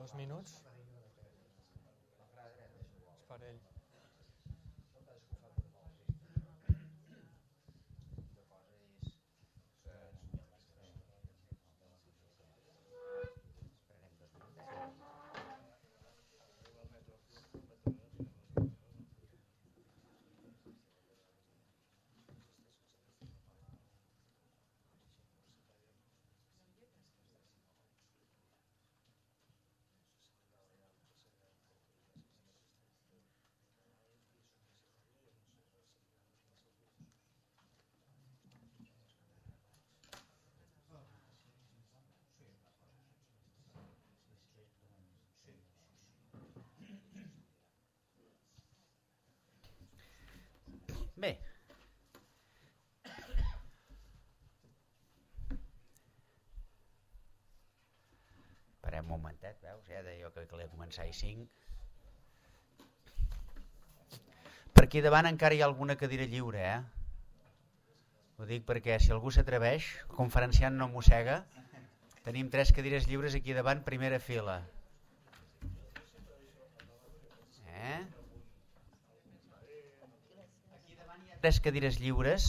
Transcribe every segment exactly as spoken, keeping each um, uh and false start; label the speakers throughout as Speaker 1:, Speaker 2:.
Speaker 1: dos minuts. És per ell.
Speaker 2: Bé, esperem un momentet, veus? Ja deia jo que calia començar a cinc. Per aquí davant encara hi ha alguna cadira lliure, eh? Ho dic perquè si algú s'atreveix, conferenciant no mossega, tenim tres cadires lliures aquí davant, primera fila. Eh? Tres cadires lliures.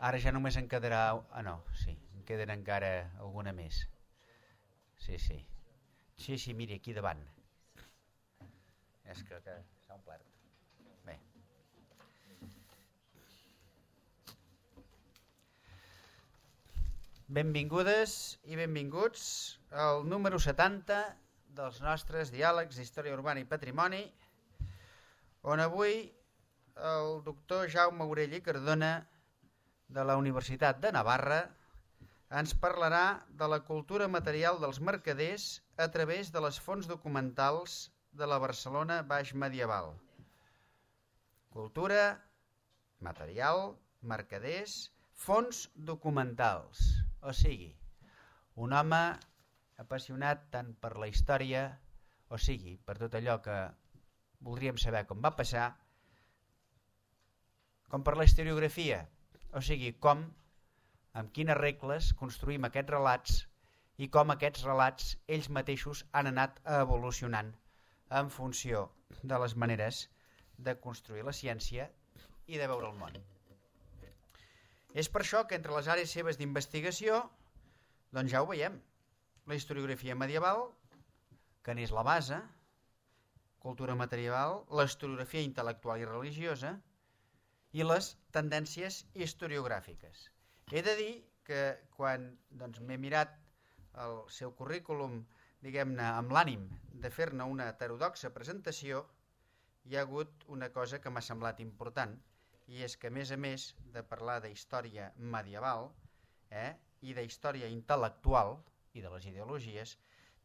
Speaker 2: Ara ja només en quedarà... Ah, no, sí, en queden encara alguna més. Sí, sí. Sí, sí, miri, aquí davant. És que, que s'ha omplert. Bé. Benvingudes i benvinguts al número setanta dels nostres diàlegs d'història urbana i patrimoni, on avui el doctor Jaume Aurell i Cardona de la Universitat de Navarra ens parlarà de la cultura material dels mercaders a través de les fonts documentals de la Barcelona baix medieval. Cultura, material, mercaders, fonts documentals. O sigui, un home apassionat tant per la història, o sigui, per tot allò que voldríem saber com va passar, com per la historiografia, o sigui, com, amb quines regles construïm aquests relats i com aquests relats ells mateixos han anat evolucionant en funció de les maneres de construir la ciència i de veure el món. És per això que entre les àrees seves d'investigació, doncs ja ho veiem, la historiografia medieval, que n'és la base, cultura material, la historiografia intel·lectual i religiosa, i les tendències historiogràfiques. He de dir que quan doncs, m'he mirat el seu currículum, diguem-ne, amb l'ànim de fer-ne una heterodoxa presentació, hi ha hagut una cosa que m'ha semblat important, i és que a més a més de parlar de història medieval eh, i de història intel·lectual i de les ideologies,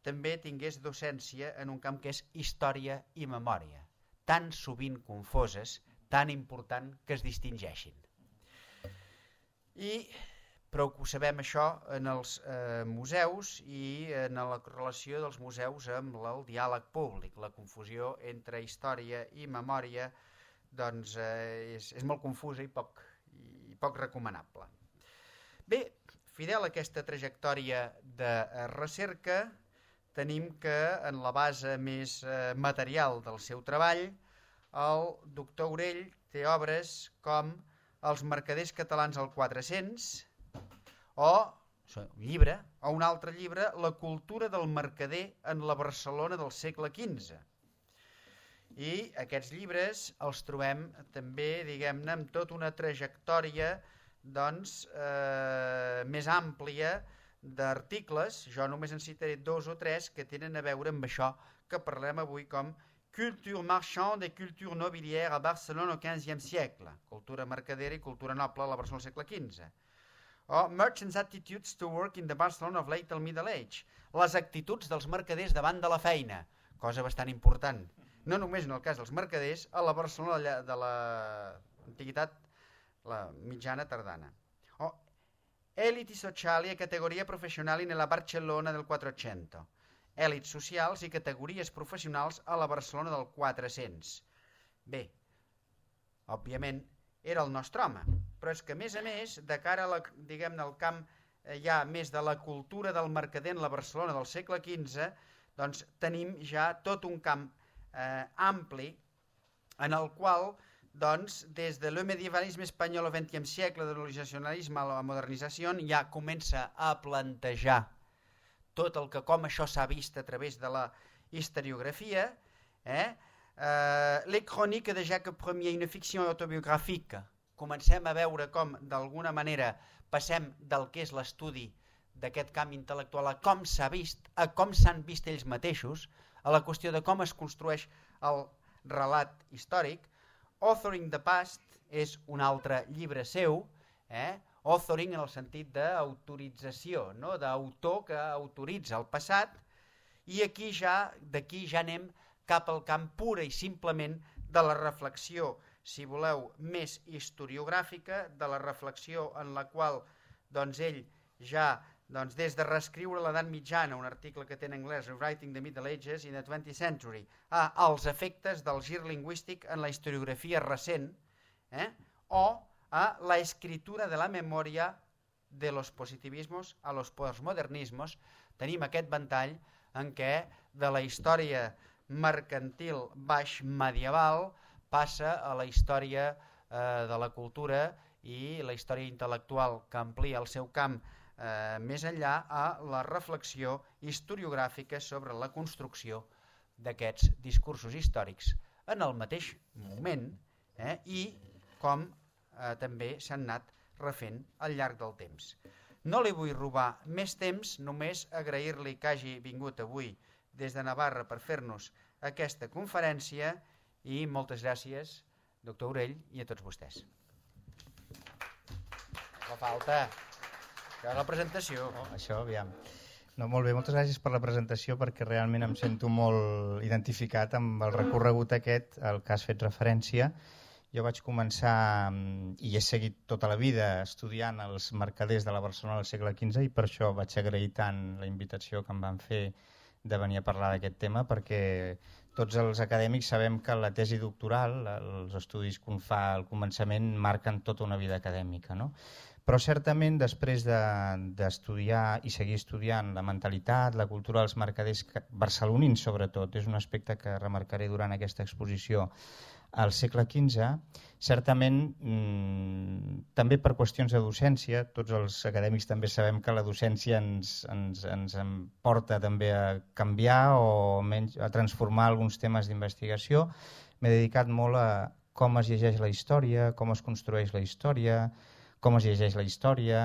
Speaker 2: també tingués docència en un camp que és història i memòria, tan sovint confoses, tan important que es distingeixin. I prou que ho sabem això en els eh, museus i en la relació dels museus amb el diàleg públic. La confusió entre història i memòria doncs, eh, és, és molt confusa i poc, i poc recomanable. Bé, fidel a aquesta trajectòria de recerca, tenim que en la base més eh, material del seu treball, el doctor Aurell té obres com Els mercaders catalans al quatre-cents o un llibre, o un altre llibre, La cultura del mercader en la Barcelona del segle quinze. I aquests llibres els trobem també, diguem-ne, amb tota una trajectòria doncs, eh, més àmplia d'articles. Jo només en citaré dos o tres que tenen a veure amb això que parlem avui com Culture marchande et culture nobilière a Barcelona au quinzième siècle. Cultura mercadera i cultura noble a la Barcelona del segle quinze. O Merchants' attitudes to work in the Barcelona of late Middle Age. Les actituds dels mercaders davant de la feina. Cosa bastant important. No només en el cas dels mercaders, a la Barcelona de l'antiguitat, la mitjana tardana. O Eliti sociali e categoria professionali nella Barcellona del quattrocento. Èlits socials i categories professionals a la Barcelona del quatre-cents. Bé, òbviament era el nostre home, però és que a més a més, de cara a la, diguem-ne, al camp ja més de la cultura del mercader en la Barcelona del segle quinze, doncs tenim ja tot un camp eh, ampli en el qual, doncs, des de le medievalisme espanyol al vingtième siècle, de l'originalisme a la modernització, ja comença a plantejar tot el que com això s'ha vist a través de la historiografia, eh? Uh, les chroniques de Jacques Ier, una ficció autobiogràfica. Comencem a veure com, d'alguna manera, passem del que és l'estudi d'aquest camp intel·lectual a com s'ha vist, a com s'han vist ells mateixos, a la qüestió de com es construeix el relat històric. Authoring the Past és un altre llibre seu, eh? Authoring en el sentit d'autorització, no? D'autor que autoritza el passat, i aquí ja, d'aquí ja anem cap al camp pura i simplement de la reflexió, si voleu, més historiogràfica, de la reflexió en la qual doncs, ell ja, doncs, des de reescriure l'edat mitjana, un article que té en anglès, Rewriting the Middle Ages in the twentieth century, a els efectes del gir lingüístic en la historiografia recent, eh? o a la escritura de la memòria de los positivismos a los postmodernismos, tenim aquest ventall en què de la història mercantil baix medieval passa a la història eh, de la cultura i la història intel·lectual que amplia el seu camp eh, més enllà a la reflexió historiogràfica sobre la construcció d'aquests discursos històrics en el mateix moment eh, i com eh, també s'han anat refent al llarg del temps. No li vull robar més temps, només agrair-li que hagi vingut avui des de Navarra per fer-nos aquesta conferència i moltes gràcies, doctor Aurell, i a tots vostès. No falta, això és la presentació.
Speaker 1: No, això, aviam. No, molt bé, moltes gràcies per la presentació perquè realment em sento molt identificat amb el recorregut aquest al que has fet referència. Jo vaig començar i he seguit tota la vida estudiant els mercaders de la Barcelona del segle quinze i per això vaig agrair tant la invitació que em van fer de venir a parlar d'aquest tema, perquè tots els acadèmics sabem que la tesi doctoral, els estudis que un fa al començament, marquen tota una vida acadèmica, no? Però certament després d'estudiar de, i seguir estudiant la mentalitat, la cultura dels mercaders barcelonins sobretot, és un aspecte que remarcaré durant aquesta exposició, al segle quinze, certament mmm, també per qüestions de docència, tots els acadèmics també sabem que la docència ens, ens, ens porta també a canviar o menys, a transformar alguns temes d'investigació. M'he dedicat molt a com es llegeix la història, com es construeix la història, com es llegeix la història,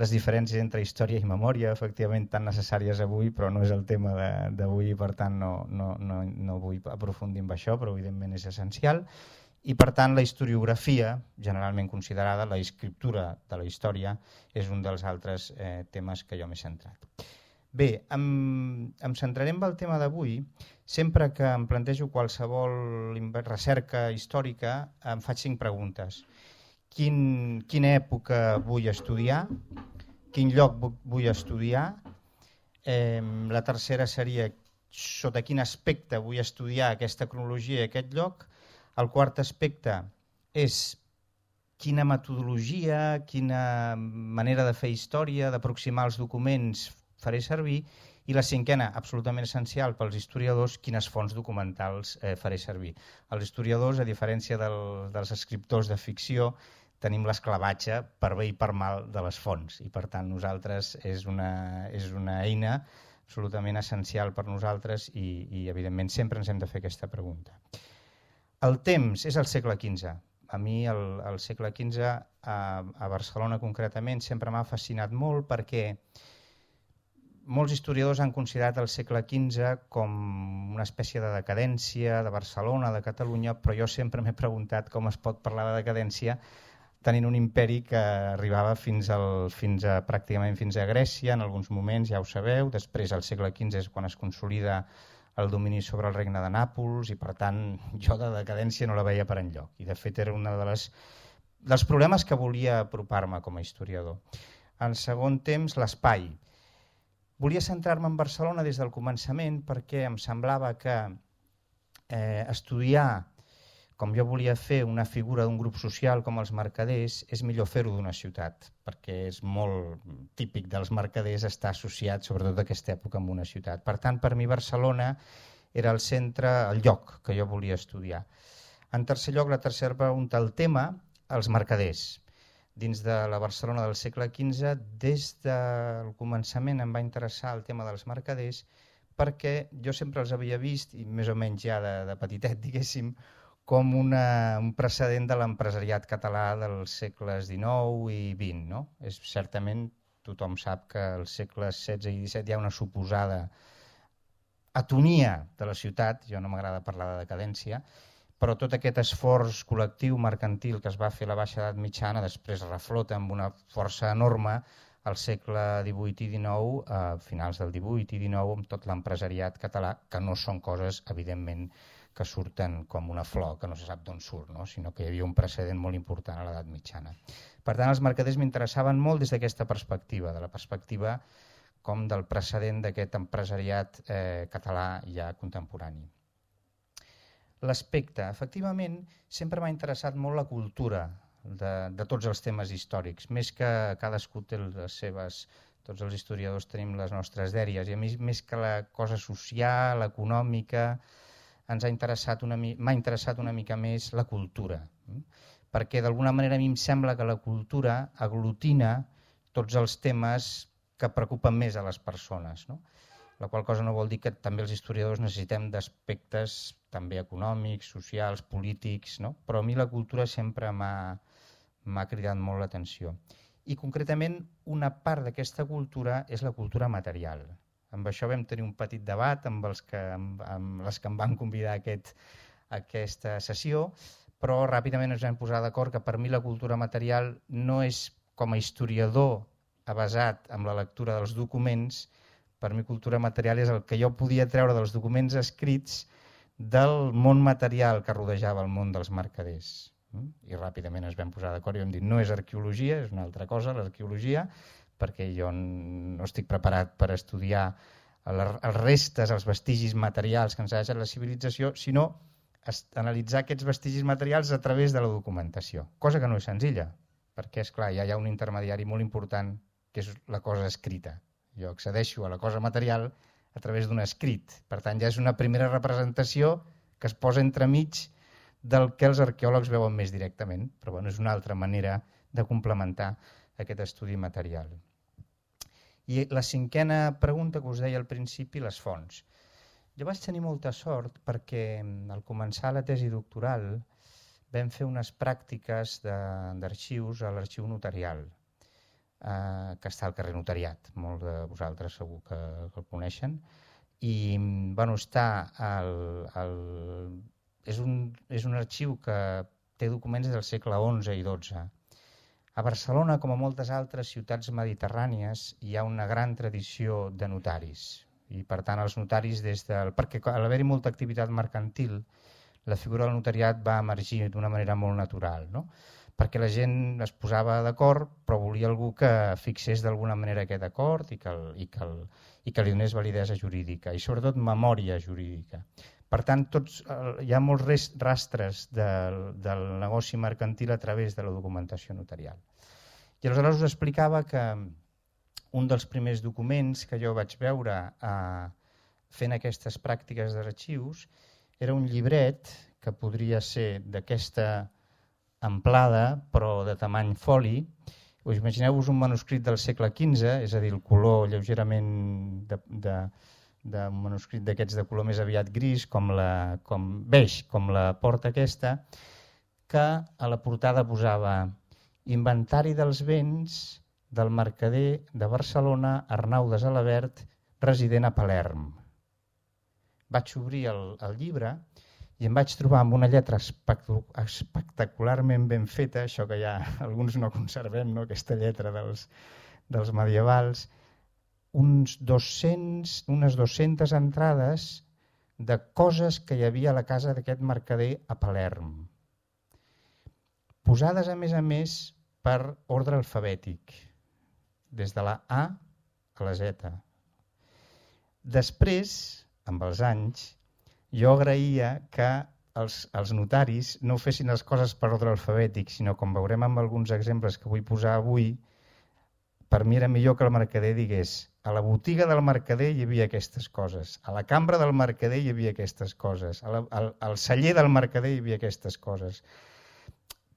Speaker 1: les diferències entre història i memòria, efectivament tan necessàries avui, però no és el tema d'avui i per tant no, no, no, no vull aprofundir en això, però evidentment és essencial. I per tant la historiografia, generalment considerada, la escriptura de la història, és un dels altres eh, temes que jo m'he centrat. Bé, em, em centraré en el tema d'avui. Sempre que em plantejo qualsevol recerca històrica em faig cinc preguntes. Quin, quina època vull estudiar, quin lloc vull estudiar, eh, la tercera seria sota quin aspecte vull estudiar aquesta cronologia i aquest lloc, el quart aspecte és quina metodologia, quina manera de fer història, d'aproximar els documents faré servir, i la cinquena, absolutament essencial pels historiadors, quines fonts documentals eh, faré servir. Els historiadors, a diferència del, dels escriptors de ficció, tenim l'esclavatge per bé i per mal de les fonts i per tant nosaltres és una, és una eina absolutament essencial per nosaltres i, i evidentment sempre ens hem de fer aquesta pregunta. El temps és el segle quinze. A mi el, el segle quinze a, a Barcelona concretament sempre m'ha fascinat molt perquè molts historiadors han considerat el segle quinze com una espècie de decadència de Barcelona, de Catalunya, però jo sempre m'he preguntat com es pot parlar de decadència tenint un imperi que arribava fins, al, fins a, pràcticament fins a Grècia, en alguns moments, ja ho sabeu. Després, al segle quinze, és quan es consolida el domini sobre el regne de Nàpols i, per tant, jo de decadència no la veia per enlloc. I, de fet, era un de les, dels problemes que volia apropar-me com a historiador. En segon temps, l'espai. Volia centrar-me en Barcelona des del començament perquè em semblava que eh, estudiar com jo volia fer una figura d'un grup social com els mercaders, és millor fer-ho d'una ciutat, perquè és molt típic dels mercaders estar associat, sobretot d'aquesta època, amb una ciutat. Per tant, per mi Barcelona era el centre, el lloc que jo volia estudiar. En tercer lloc, la tercera pregunta, el tema, els mercaders. Dins de la Barcelona del segle quinze, des del començament em va interessar el tema dels mercaders, perquè jo sempre els havia vist, i més o menys ja de, de petitet, diguéssim, com una, un precedent de l'empresariat català dels segles dinou i vint. No? És, certament tothom sap que als segles setze i disset hi ha una suposada atonia de la ciutat, jo no m'agrada parlar de decadència, però tot aquest esforç col·lectiu mercantil que es va fer a la baixa edat mitjana després reflota amb una força enorme al segle divuit i dinou, a finals del divuit i dinou, amb tot l'empresariat català, que no són coses, evidentment, que surten com una flor, que no se sap d'on surt, no? Sinó que hi havia un precedent molt important a l'edat mitjana. Per tant, els mercaders m'interessaven molt des d'aquesta perspectiva, de la perspectiva com del precedent d'aquest empresariat eh, català ja contemporani. L'aspecte, efectivament, sempre m'ha interessat molt la cultura de, de tots els temes històrics, més que cadascú té les seves, tots els historiadors tenim les nostres dèries, i a mi més que la cosa social, econòmica, ens ha interessat una, m'ha interessat una mica més la cultura, perquè d'alguna manera a mi em sembla que la cultura aglutina tots els temes que preocupen més a les persones, no? La qual cosa no vol dir que també els historiadors necessitem d'aspectes també econòmics, socials, polítics, no? Però a mi la cultura sempre m'ha cridat molt l'atenció. I concretament una part d'aquesta cultura és la cultura material. Amb això vam tenir un petit debat amb, els que, amb, amb les que em van convidar a, aquest, a aquesta sessió, però ràpidament ens vam posar d'acord que per mi la cultura material no és com a historiador avasat amb la lectura dels documents, per mi cultura material és el que jo podia treure dels documents escrits del món material que rodejava el món dels mercaders. I ràpidament ens vam posar d'acord i vam dir no és arqueologia, és una altra cosa l'arqueologia, perquè jo no estic preparat per estudiar els restes, els vestigis materials que ens ha deixat la civilització, sinó analitzar aquests vestigis materials a través de la documentació, cosa que no és senzilla, perquè és clar, ja hi ha un intermediari molt important que és la cosa escrita. Jo accedeixo a la cosa material a través d'un escrit, per tant ja és una primera representació que es posa entremig del que els arqueòlegs veuen més directament, però bueno, és una altra manera de complementar aquest estudi material. I la cinquena pregunta que us deia al principi, les fonts. Jo vaig tenir molta sort perquè al començar la tesi doctoral vam fer unes pràctiques d'arxius a l'arxiu notarial, eh, que està al carrer Notariat, molts de vosaltres segur que, que el coneixen, i bueno, està el, el, és, un, és un arxiu que té documents del segle onze i dotze. A Barcelona, com a moltes altres ciutats mediterrànies, hi ha una gran tradició de notaris. I per tant els notaris des del... perquè al haver-hi molta activitat mercantil, la figura del notariat va emergir d'una manera molt natural, no? Perquè la gent es posava d'acord, però volia algú que fixés d'alguna manera aquest acord i que, el, i, que el, i que li donés validesa jurídica i sobretot memòria jurídica. Per tant, tots, hi ha molts rastres del, del negoci mercantil a través de la documentació notarial. I aleshores us explicava que un dels primers documents que jo vaig veure eh, fent aquestes pràctiques d'arxius era un llibret que podria ser d'aquesta amplada però de tamany foli. Us imagineu-vos un manuscrit del segle quinze, és a dir, el color lleugerament de... de d'un manuscrit d'aquests de color més aviat gris, com la, com beix, com la porta aquesta, que a la portada posava inventari dels béns del mercader de Barcelona, Arnau de Salabert, resident a Palerm. Vaig obrir el, el llibre i em vaig trobar amb una lletra espectacularment ben feta, això que ja alguns no conservem, no? Aquesta lletra dels, dels medievals, uns dos-cents, unes dues-centes entrades de coses que hi havia a la casa d'aquest mercader a Palerm, posades a més a més per ordre alfabètic, des de la A a la Z. Després, amb els anys, jo agraïa que els, els notaris no fessin les coses per ordre alfabètic, sinó com veurem amb alguns exemples que vull posar avui, per mi era millor que el mercader digués a la botiga del mercader hi havia aquestes coses, a la cambra del mercader hi havia aquestes coses, a la, al, al celler del mercader hi havia aquestes coses,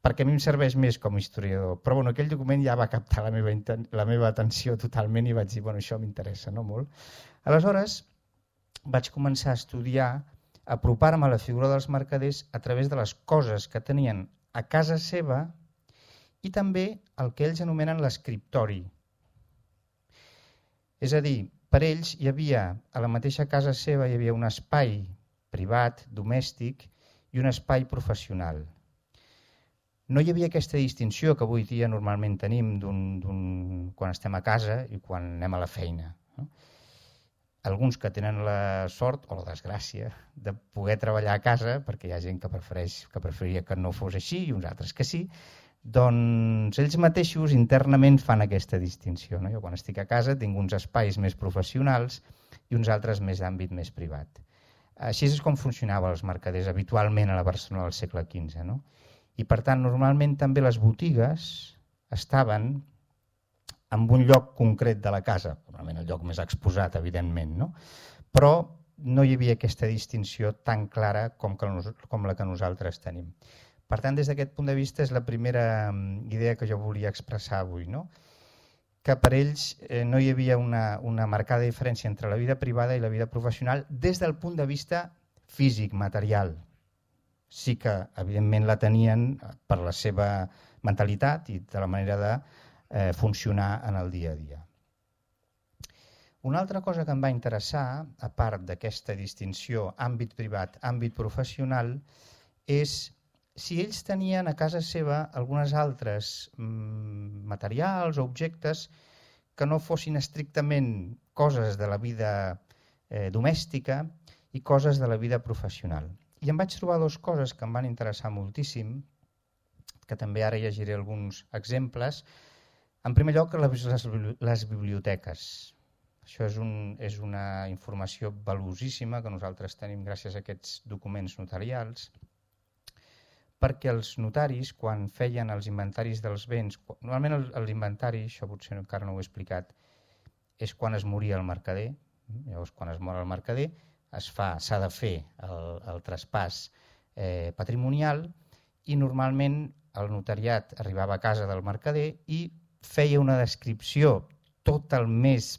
Speaker 1: perquè a mi em serveix més com a historiador. Però bueno, aquell document ja va captar la meva, la meva atenció totalment i vaig dir, bueno, això m'interessa, no molt. Aleshores, vaig començar a estudiar, a apropar-me a la figura dels mercaders a través de les coses que tenien a casa seva i també el que ells anomenen l'escriptori. És a dir, per ells hi havia, a la mateixa casa seva, hi havia un espai privat, domèstic i un espai professional. No hi havia aquesta distinció que avui dia normalment tenim d'un, d'un, quan estem a casa i quan anem a la feina. No? Alguns que tenen la sort o la desgràcia de poder treballar a casa, perquè hi ha gent que prefereix, que preferiria que no fos així i uns altres que sí, doncs ells mateixos internament fan aquesta distinció. No? Jo quan estic a casa tinc uns espais més professionals i uns altres més d'àmbit més privat. Així és com funcionaven els mercaders habitualment a la Barcelona del segle quinze. No? I per tant, normalment també les botigues estaven en un lloc concret de la casa, normalment el lloc més exposat, evidentment, no? Però no hi havia aquesta distinció tan clara com, que, com la que nosaltres tenim. Per tant, des d'aquest punt de vista és la primera idea que jo volia expressar avui, no? Que per ells eh, no hi havia una, una marcada diferència entre la vida privada i la vida professional des del punt de vista físic, material. Sí que, evidentment, la tenien per la seva mentalitat i de la manera de eh, funcionar en el dia a dia. Una altra cosa que em va interessar, a part d'aquesta distinció àmbit privat, àmbit professional, és si ells tenien a casa seva algunes altres mm, materials o objectes que no fossin estrictament coses de la vida eh, domèstica i coses de la vida professional. I em vaig trobar dues coses que em van interessar moltíssim, que també ara llegiré alguns exemples. En primer lloc, les, les biblioteques. Això és, un, és una informació valuosíssima que nosaltres tenim gràcies a aquests documents notarials, perquè els notaris, quan feien els inventaris dels béns, normalment l'inventari, això potser encara no ho he explicat, és quan es moria el mercader. Llavors, quan es mor el mercader, es fa, s'ha de fer el, el traspàs eh, patrimonial i normalment el notariat arribava a casa del mercader i feia una descripció tot el més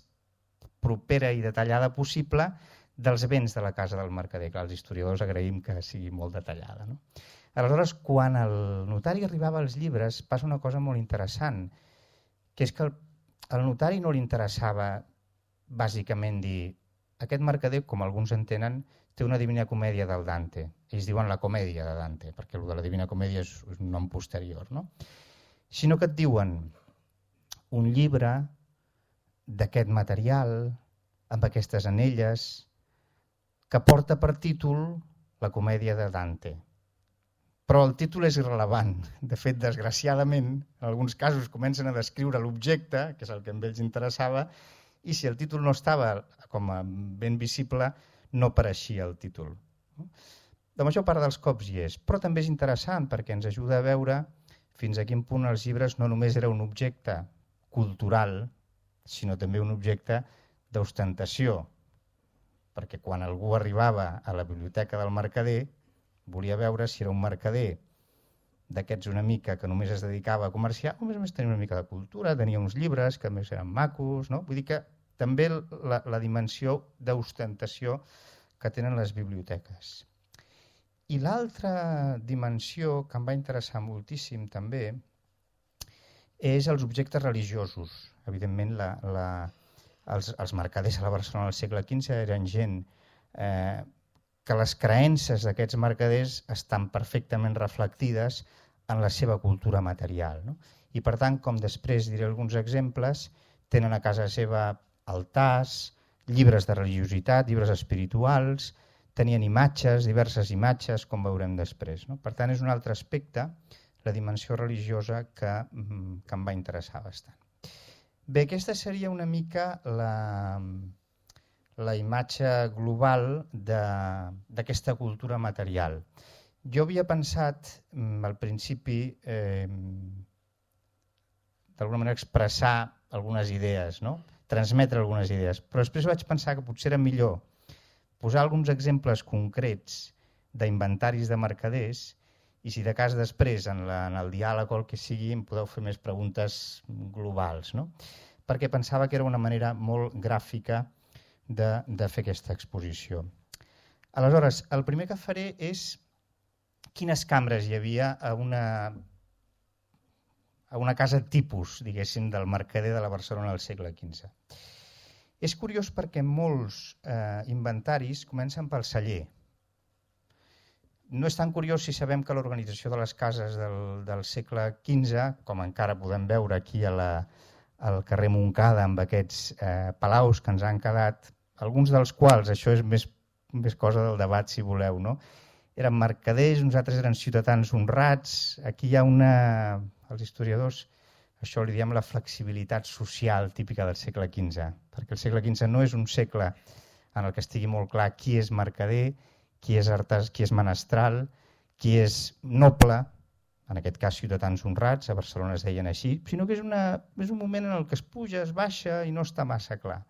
Speaker 1: propera i detallada possible dels béns de la casa del mercader, que els historiadors agraïm que sigui molt detallada. No? Aleshores, quan el notari arribava als llibres, passa una cosa molt interessant, que és que el, al notari no li interessava bàsicament dir aquest mercader, com alguns entenen, té una Divina Comèdia del Dante. Ells diuen la comèdia de Dante, perquè el de la Divina Comèdia és un nom posterior. No? Sinó que et diuen un llibre d'aquest material, amb aquestes anelles, que porta per títol la comèdia de Dante. Però el títol és irrellevant. De fet, desgraciadament, en alguns casos comencen a descriure l'objecte, que és el que a ells interessava, i si el títol no estava com a ben visible, no apareixia el títol. La major part dels cops hi és, però també és interessant perquè ens ajuda a veure fins a quin punt els llibres no només era un objecte cultural, sinó també un objecte d'ostentació, perquè quan algú arribava a la biblioteca del mercader volia veure si era un mercader d'aquests una mica que només es dedicava a comerciar, o més o menys tenia una mica de cultura, tenia uns llibres que més eren macos, no? Vull dir que també la, la dimensió d'ostentació que tenen les biblioteques. I l'altra dimensió que em va interessar moltíssim també és els objectes religiosos. Evidentment, la, la, els, els mercaders a la Barcelona del segle quinze eren gent eh, que les creences d'aquests mercaders estan perfectament reflectides en la seva cultura material. No? I per tant, com després diré alguns exemples, tenen a casa seva altars, llibres de religiositat, llibres espirituals, tenien imatges, diverses imatges, com veurem després. No? Per tant, és un altre aspecte, la dimensió religiosa, que, que em va interessar bastant. Bé, aquesta seria una mica la, la imatge global d'aquesta cultura material. Jo havia pensat al principi eh, d'alguna manera expressar algunes idees, no? Transmetre algunes idees, però després vaig pensar que potser era millor posar alguns exemples concrets d'inventaris de mercaders i si de cas després en, la, en el diàleg o el que sigui em podeu fer més preguntes globals, no? Perquè pensava que era una manera molt gràfica de, de fer aquesta exposició. Aleshores, el primer que faré és quines cambres hi havia a una, a una casa tipus, diguéssim, del mercader de la Barcelona del segle quinze. És curiós perquè molts eh, inventaris comencen pel celler. No és tan curiós si sabem que l'organització de les cases del, del segle quinze, com encara podem veure aquí a la, al carrer Montcada amb aquests eh, palaus que ens han quedat, alguns dels quals, això és més, més cosa del debat si voleu, no? Eren mercaders, uns altres eren ciutadans honrats. Aquí hi ha una... Els historiadors, això li diem la flexibilitat social típica del segle quinze, perquè el segle quinze no és un segle en el que estigui molt clar qui és mercader, qui és artès, qui és menestral, qui és noble, en aquest cas ciutadans honrats, a Barcelona es deien així, sinó que és, una, és un moment en el que es puja, es baixa i no està massa clar.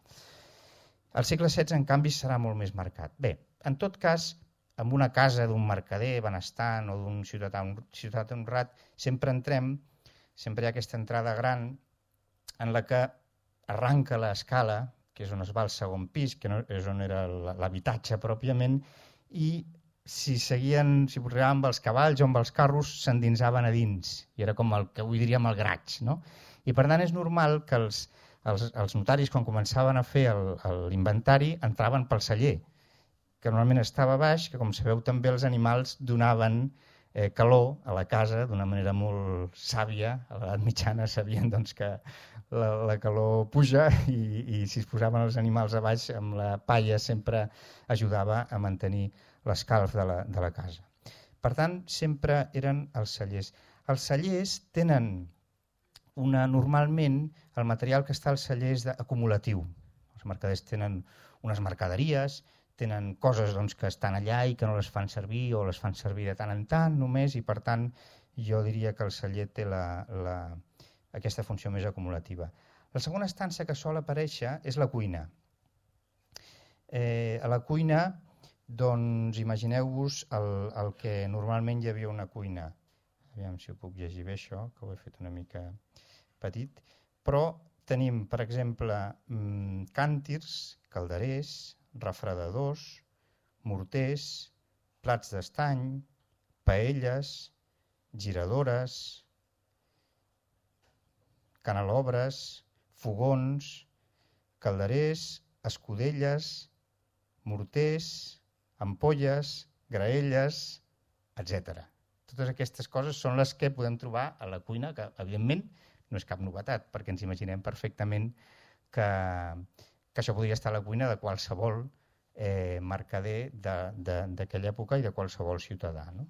Speaker 1: El segle setze, en canvi, serà molt més marcat. Bé, en tot cas, en una casa d'un mercader benestant o d'un ciutadà, ciutadà honrat, sempre entrem, sempre hi ha aquesta entrada gran en la que arranca l'escala, que és on es va al segon pis, que no, és on era l'habitatge pròpiament, i si seguien, si arribaven amb els cavalls o amb els carros, s'endinsaven a dins, i era com el que avui diríem el graig, no? I per tant és normal que els, els, els notaris, quan començaven a fer l'inventari, entraven pel celler, que normalment estava baix, que com sabeu també els animals donaven eh, calor a la casa d'una manera molt sàvia. A l'edat mitjana sabien doncs, que la, la calor puja i, i si es posaven els animals a baix amb la palla sempre ajudava a mantenir l'escalf de, la, de la casa. Per tant, sempre eren els cellers. Els cellers tenen una, normalment el material que està als cellers acumulatiu. Els mercaders tenen unes mercaderies, tenen coses doncs, que estan allà i que no les fan servir o les fan servir de tant en tant només i per tant jo diria que el celler té la, la, aquesta funció més acumulativa. La segona estança que sol aparèixer és la cuina. Eh, a la cuina, doncs imagineu-vos el, el que normalment hi havia una cuina. Aviam si ho puc llegir bé això, que ho he fet una mica petit. Però tenim, per exemple, càntirs, calderers, refredadors, morters, plats d'estany, paelles, giradores, canelobres, fogons, calderers, escudelles, morters, ampolles, graelles, etcètera. Totes aquestes coses són les que podem trobar a la cuina, que evidentment no és cap novetat, perquè ens imaginem perfectament que... que això podria estar a la cuina de qualsevol eh, mercader d'aquella època i de qualsevol ciutadà. No?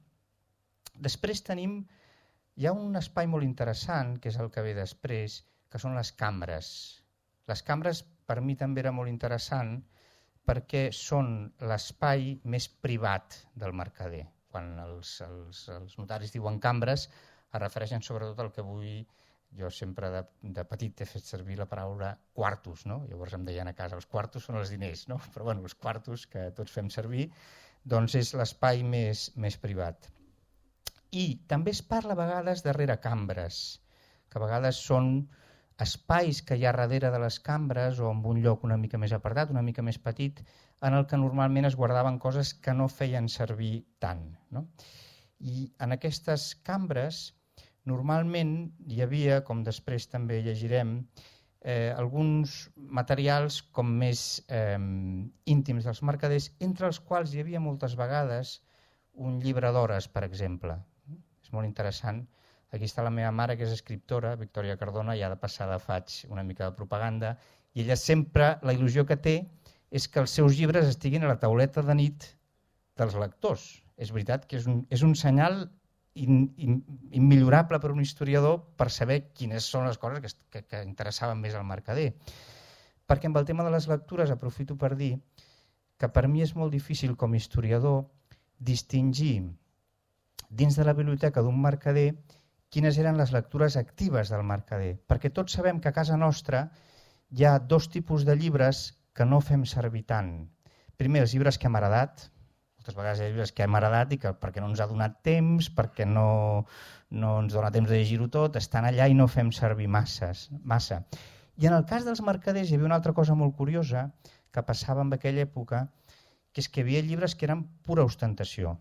Speaker 1: Després tenim, hi ha un espai molt interessant, que és el que ve després, que són les cambres. Les cambres per mi també era molt interessant perquè són l'espai més privat del mercader. Quan els, els, els notaris diuen cambres es refereixen sobretot al que avui jo sempre de, de petit he fet servir la paraula quartos, no? Llavors em deien a casa, els quartos són els diners, no? Però bueno, els quartos que tots fem servir, doncs és l'espai més, més privat. I també es parla a vegades de reracambres, que a vegades són espais que hi ha darrere de les cambres o en un lloc una mica més apartat, una mica més petit, en el que normalment es guardaven coses que no feien servir tant. No? I en aquestes cambres normalment hi havia, com després també llegirem, eh, alguns materials com més eh, íntims dels mercaders, entre els quals hi havia moltes vegades un llibre d'hores, per exemple. És molt interessant. Aquí està la meva mare, que és escriptora, Victòria Cardona, ja de passada faig una mica de propaganda, i ella sempre, la il·lusió que té és que els seus llibres estiguin a la tauleta de nit dels lectors. És veritat que és un, és un senyal immillorable per un historiador per saber quines són les coses que, que, que interessaven més al mercader. Perquè amb el tema de les lectures aprofito per dir que per mi és molt difícil com a historiador distingir dins de la biblioteca d'un mercader quines eren les lectures actives del mercader, perquè tots sabem que a casa nostra hi ha dos tipus de llibres que no fem servir tant. Primer, els llibres que hem heredat. Moltes vegades hi ha llibres que hem heredat i que perquè no ens ha donat temps, perquè no, no ens dona temps de llegir-ho tot, estan allà i no fem servir masses, massa. I en el cas dels mercaders hi havia una altra cosa molt curiosa que passava en aquella època, que és que hi havia llibres que eren pura ostentació.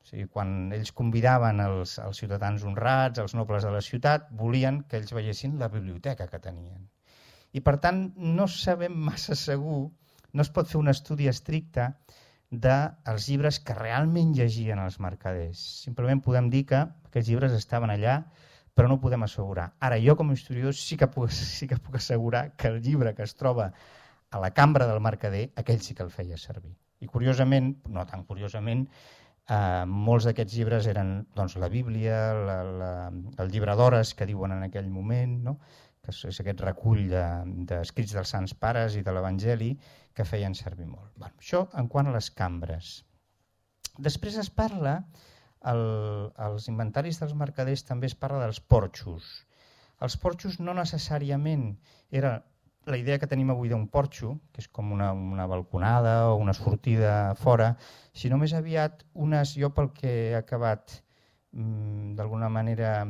Speaker 1: O sigui, quan ells convidaven els, els ciutadans honrats, els nobles de la ciutat, volien que ells veiessin la biblioteca que tenien. I per tant no sabem massa segur, no es pot fer un estudi estricte dels llibres que realment llegien els mercaders. Simplement podem dir que aquests llibres estaven allà, però no ho podem assegurar. Ara, jo com a historiador sí que puc, sí que puc assegurar que el llibre que es troba a la cambra del mercader, aquell sí que el feia servir. I curiosament, no tan curiosament, eh, molts d'aquests llibres eren doncs, la Bíblia, la, la, el llibre d'hores que diuen en aquell moment, no? Que és aquest recull d'escrits de, dels Sants Pares i de l'Evangeli que feien servir molt. Bueno, això en quant a les cambres. Després es parla, el, als inventaris dels mercaders també es parla dels porxos. Els porxos no necessàriament era la idea que tenim avui d'un porxo, que és com una, una balconada o una sortida fora, sinó més aviat unes, jo pel que he acabat mm, d'alguna manera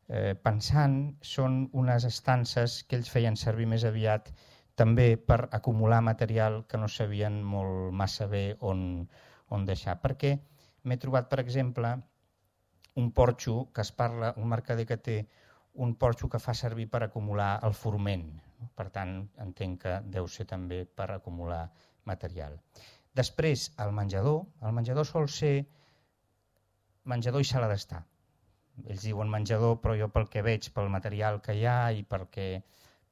Speaker 1: eh, pensant, són unes estances que ells feien servir més aviat també per acumular material que no sabien molt massa bé on, on deixar. Perquè m'he trobat, per exemple, un porxo que es parla, un mercader que té un porxo que fa servir per acumular el forment. Per tant, entenc que deu ser també per acumular material. Després, el menjador. El menjador sol ser menjador i sala d'estar. Ells diuen menjador, però jo pel que veig, pel material que hi ha i perquè,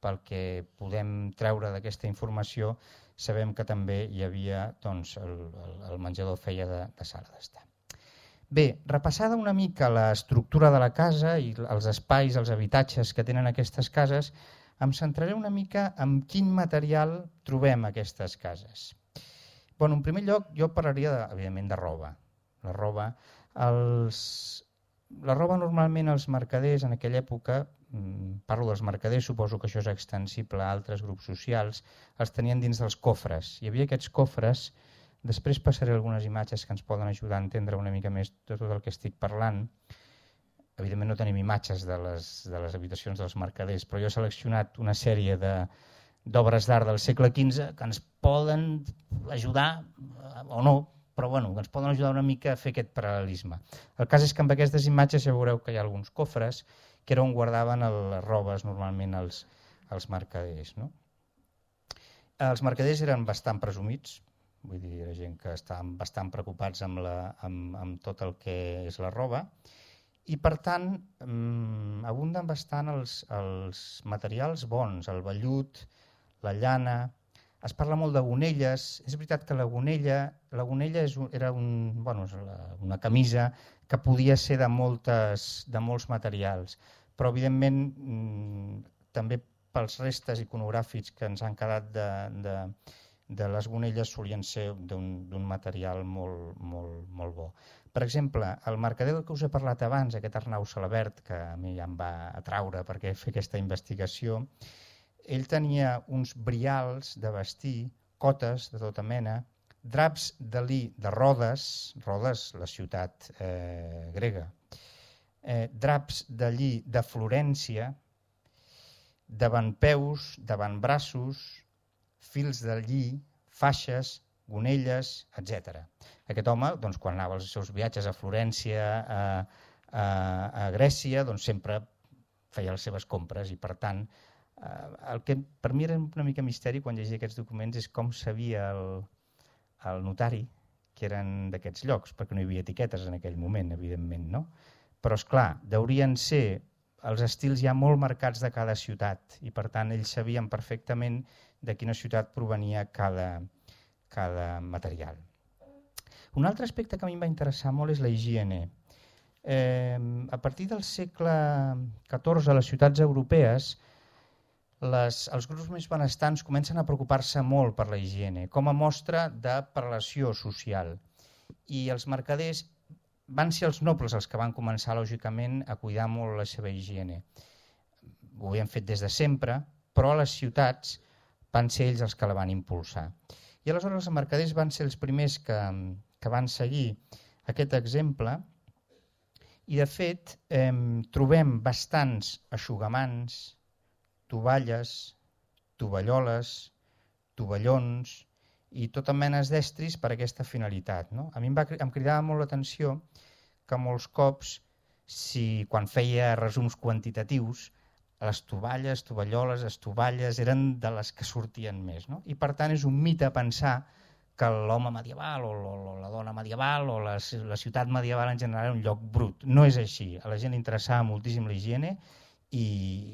Speaker 1: pel que podem treure d'aquesta informació, sabem que també hi havia, doncs, el, el, el menjador feia de, de sala d'estar. Bé, repassada una mica l'estructura de la casa i els espais, els habitatges que tenen aquestes cases, em centraré una mica en quin material trobem a aquestes cases. Bueno, en primer lloc, jo parlaria, de, evidentment, de roba. La roba, els, la roba normalment els mercaders en aquella època, parlo dels mercaders, suposo que això és extensible a altres grups socials, els tenien dins dels cofres. Hi havia aquests cofres, després passaré algunes imatges que ens poden ajudar a entendre una mica més de tot el que estic parlant. Evidentment no tenim imatges de les, de les habitacions dels mercaders, però jo he seleccionat una sèrie d'obres d'art del segle quinze que ens poden ajudar, o no, però bueno, que ens poden ajudar una mica a fer aquest paral·lelisme. El cas és que amb aquestes imatges ja veureu que hi ha alguns cofres que era on guardaven les robes normalment els, els mercaders. No? Els mercaders eren bastant presumits, vull dir, era gent que estaven bastant preocupats amb, la, amb, amb tot el que és la roba, i per tant mmm, abunden bastant els, els materials bons, el vellut, la llana. Es parla molt de gonelles. És veritat que la gonella, la gonella és un, era un, bueno, una camisa que podia ser de, moltes, de molts materials, però evidentment mmm, també pels restes iconogràfics que ens han quedat de, de, de les gonelles solien ser d'un material molt, molt, molt bo. Per exemple, el mercader del que us he parlat abans, aquest Arnau Salabert, que a mi ja em va atraure perquè fer aquesta investigació, ell tenia uns brials de vestir, cotes de tota mena, draps de lí de Rodes, Rodes, la ciutat eh, grega, eh, draps de lli de Florència, davantpeus, davantbraços, fils de lli, faixes, gonelles, etcètera. Aquest home, doncs, quan anava als seus viatges a Florència, a, a, a Grècia, doncs, sempre feia les seves compres i, per tant, eh, el que per mi era una mica misteri quan llegia aquests documents és com sabia el, el notari que eren d'aquests llocs, perquè no hi havia etiquetes en aquell moment, evidentment, no? Però, esclar, deurien ser els estils ja molt marcats de cada ciutat i, per tant, ells sabien perfectament de quina ciutat provenia cada, cada material. Un altre aspecte que a mi em va interessar molt és la higiene. Eh, a partir del segle catorze, a les ciutats europees, les, els grups més benestants comencen a preocupar-se molt per la higiene, com a mostra de relació social. I els mercaders van ser els nobles els que van començar, lògicament, a cuidar molt la seva higiene. Ho havien fet des de sempre, però a les ciutats van ser ells els que la van impulsar. I aleshores els mercaders van ser els primers que, que van seguir aquest exemple i, de fet, eh, trobem bastants eixugamans, tovalles, tovalloles, tovallons i tota menes d'estris per a aquesta finalitat. No? A mi em, va, em cridava molt l'atenció que molts cops, si, quan feia resums quantitatius, les tovalles, tovalloles, estovalles eren de les que sortien més. No? I per tant és un mite pensar que l'home medieval o, o la dona medieval o la, la ciutat medieval en general era un lloc brut. No és així. A la gent li interessava moltíssim la higiene i,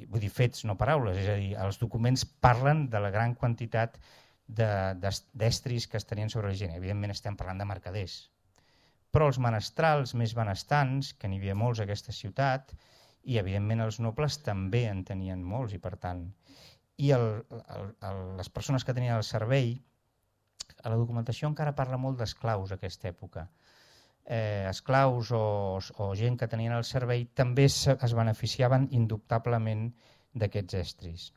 Speaker 1: vull dir, fets, no paraules. És a dir, els documents parlen de la gran quantitat d'estris que es tenien sobre la higiene. Evidentment estem parlant de mercaders. Però els menestrals més benestants, que n'hi havia molts a aquesta ciutat, i evidentment els nobles també en tenien molts, i per tant, i el, el, el, les persones que tenien el servei, a la documentació encara parla molt d'esclaus a aquesta època. Eh, esclaus o, o gent que tenien el servei també es, es beneficiaven indubtablement d'aquests estris.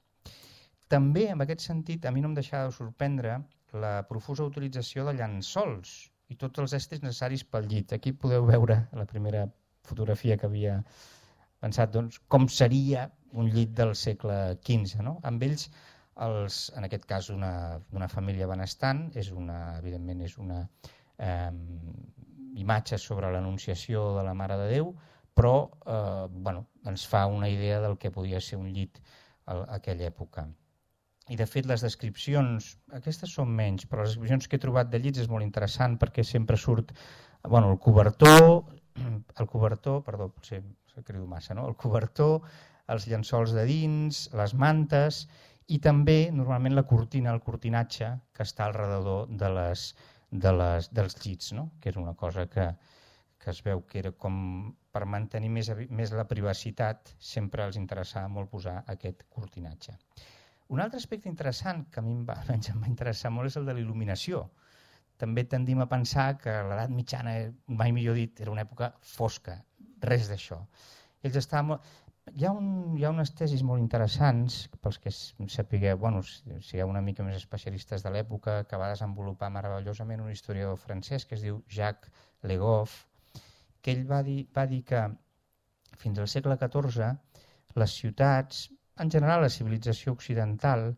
Speaker 1: També, en aquest sentit, a mi no em deixava de sorprendre la profusa utilització de llençols i tots els estris necessaris pel llit. Aquí podeu veure la primera fotografia que havia pensat, doncs, com seria un llit del segle quinze. No? Amb ells, els, en aquest cas una, una família benestant, és una, evidentment és una eh, imatge sobre l'anunciació de la Mare de Déu, però eh, bueno, ens fa una idea del que podia ser un llit a, a aquella època. I de fet les descripcions, aquestes són menys, però les descripcions que he trobat de llits és molt interessant perquè sempre surt bueno, el cobertor, el cobertor, perdó, potser crido massa, no? El cobertor, els llençols de dins, les mantes i també normalment la cortina, el cortinatge que està al redador de les, de les, dels llits, no? Que és una cosa que, que es veu que era com per mantenir més, més la privacitat, sempre els interessava molt posar aquest cortinatge. Un altre aspecte interessant que a mi em va, em va interessar molt és el de la il·luminació. També tendim a pensar que l'edat mitjana, mai millor dit, era una època fosca, res d'això. Ells estaven... Hi ha, un, hi ha unes tesis molt interessants, pels que sapigueu, bueno, sigueu una mica més especialistes de l'època, que va desenvolupar meravellosament un historiador francès que es diu Jacques Le Goff, que ell va dir, va dir que fins al segle catorze les ciutats, en general la civilització occidental,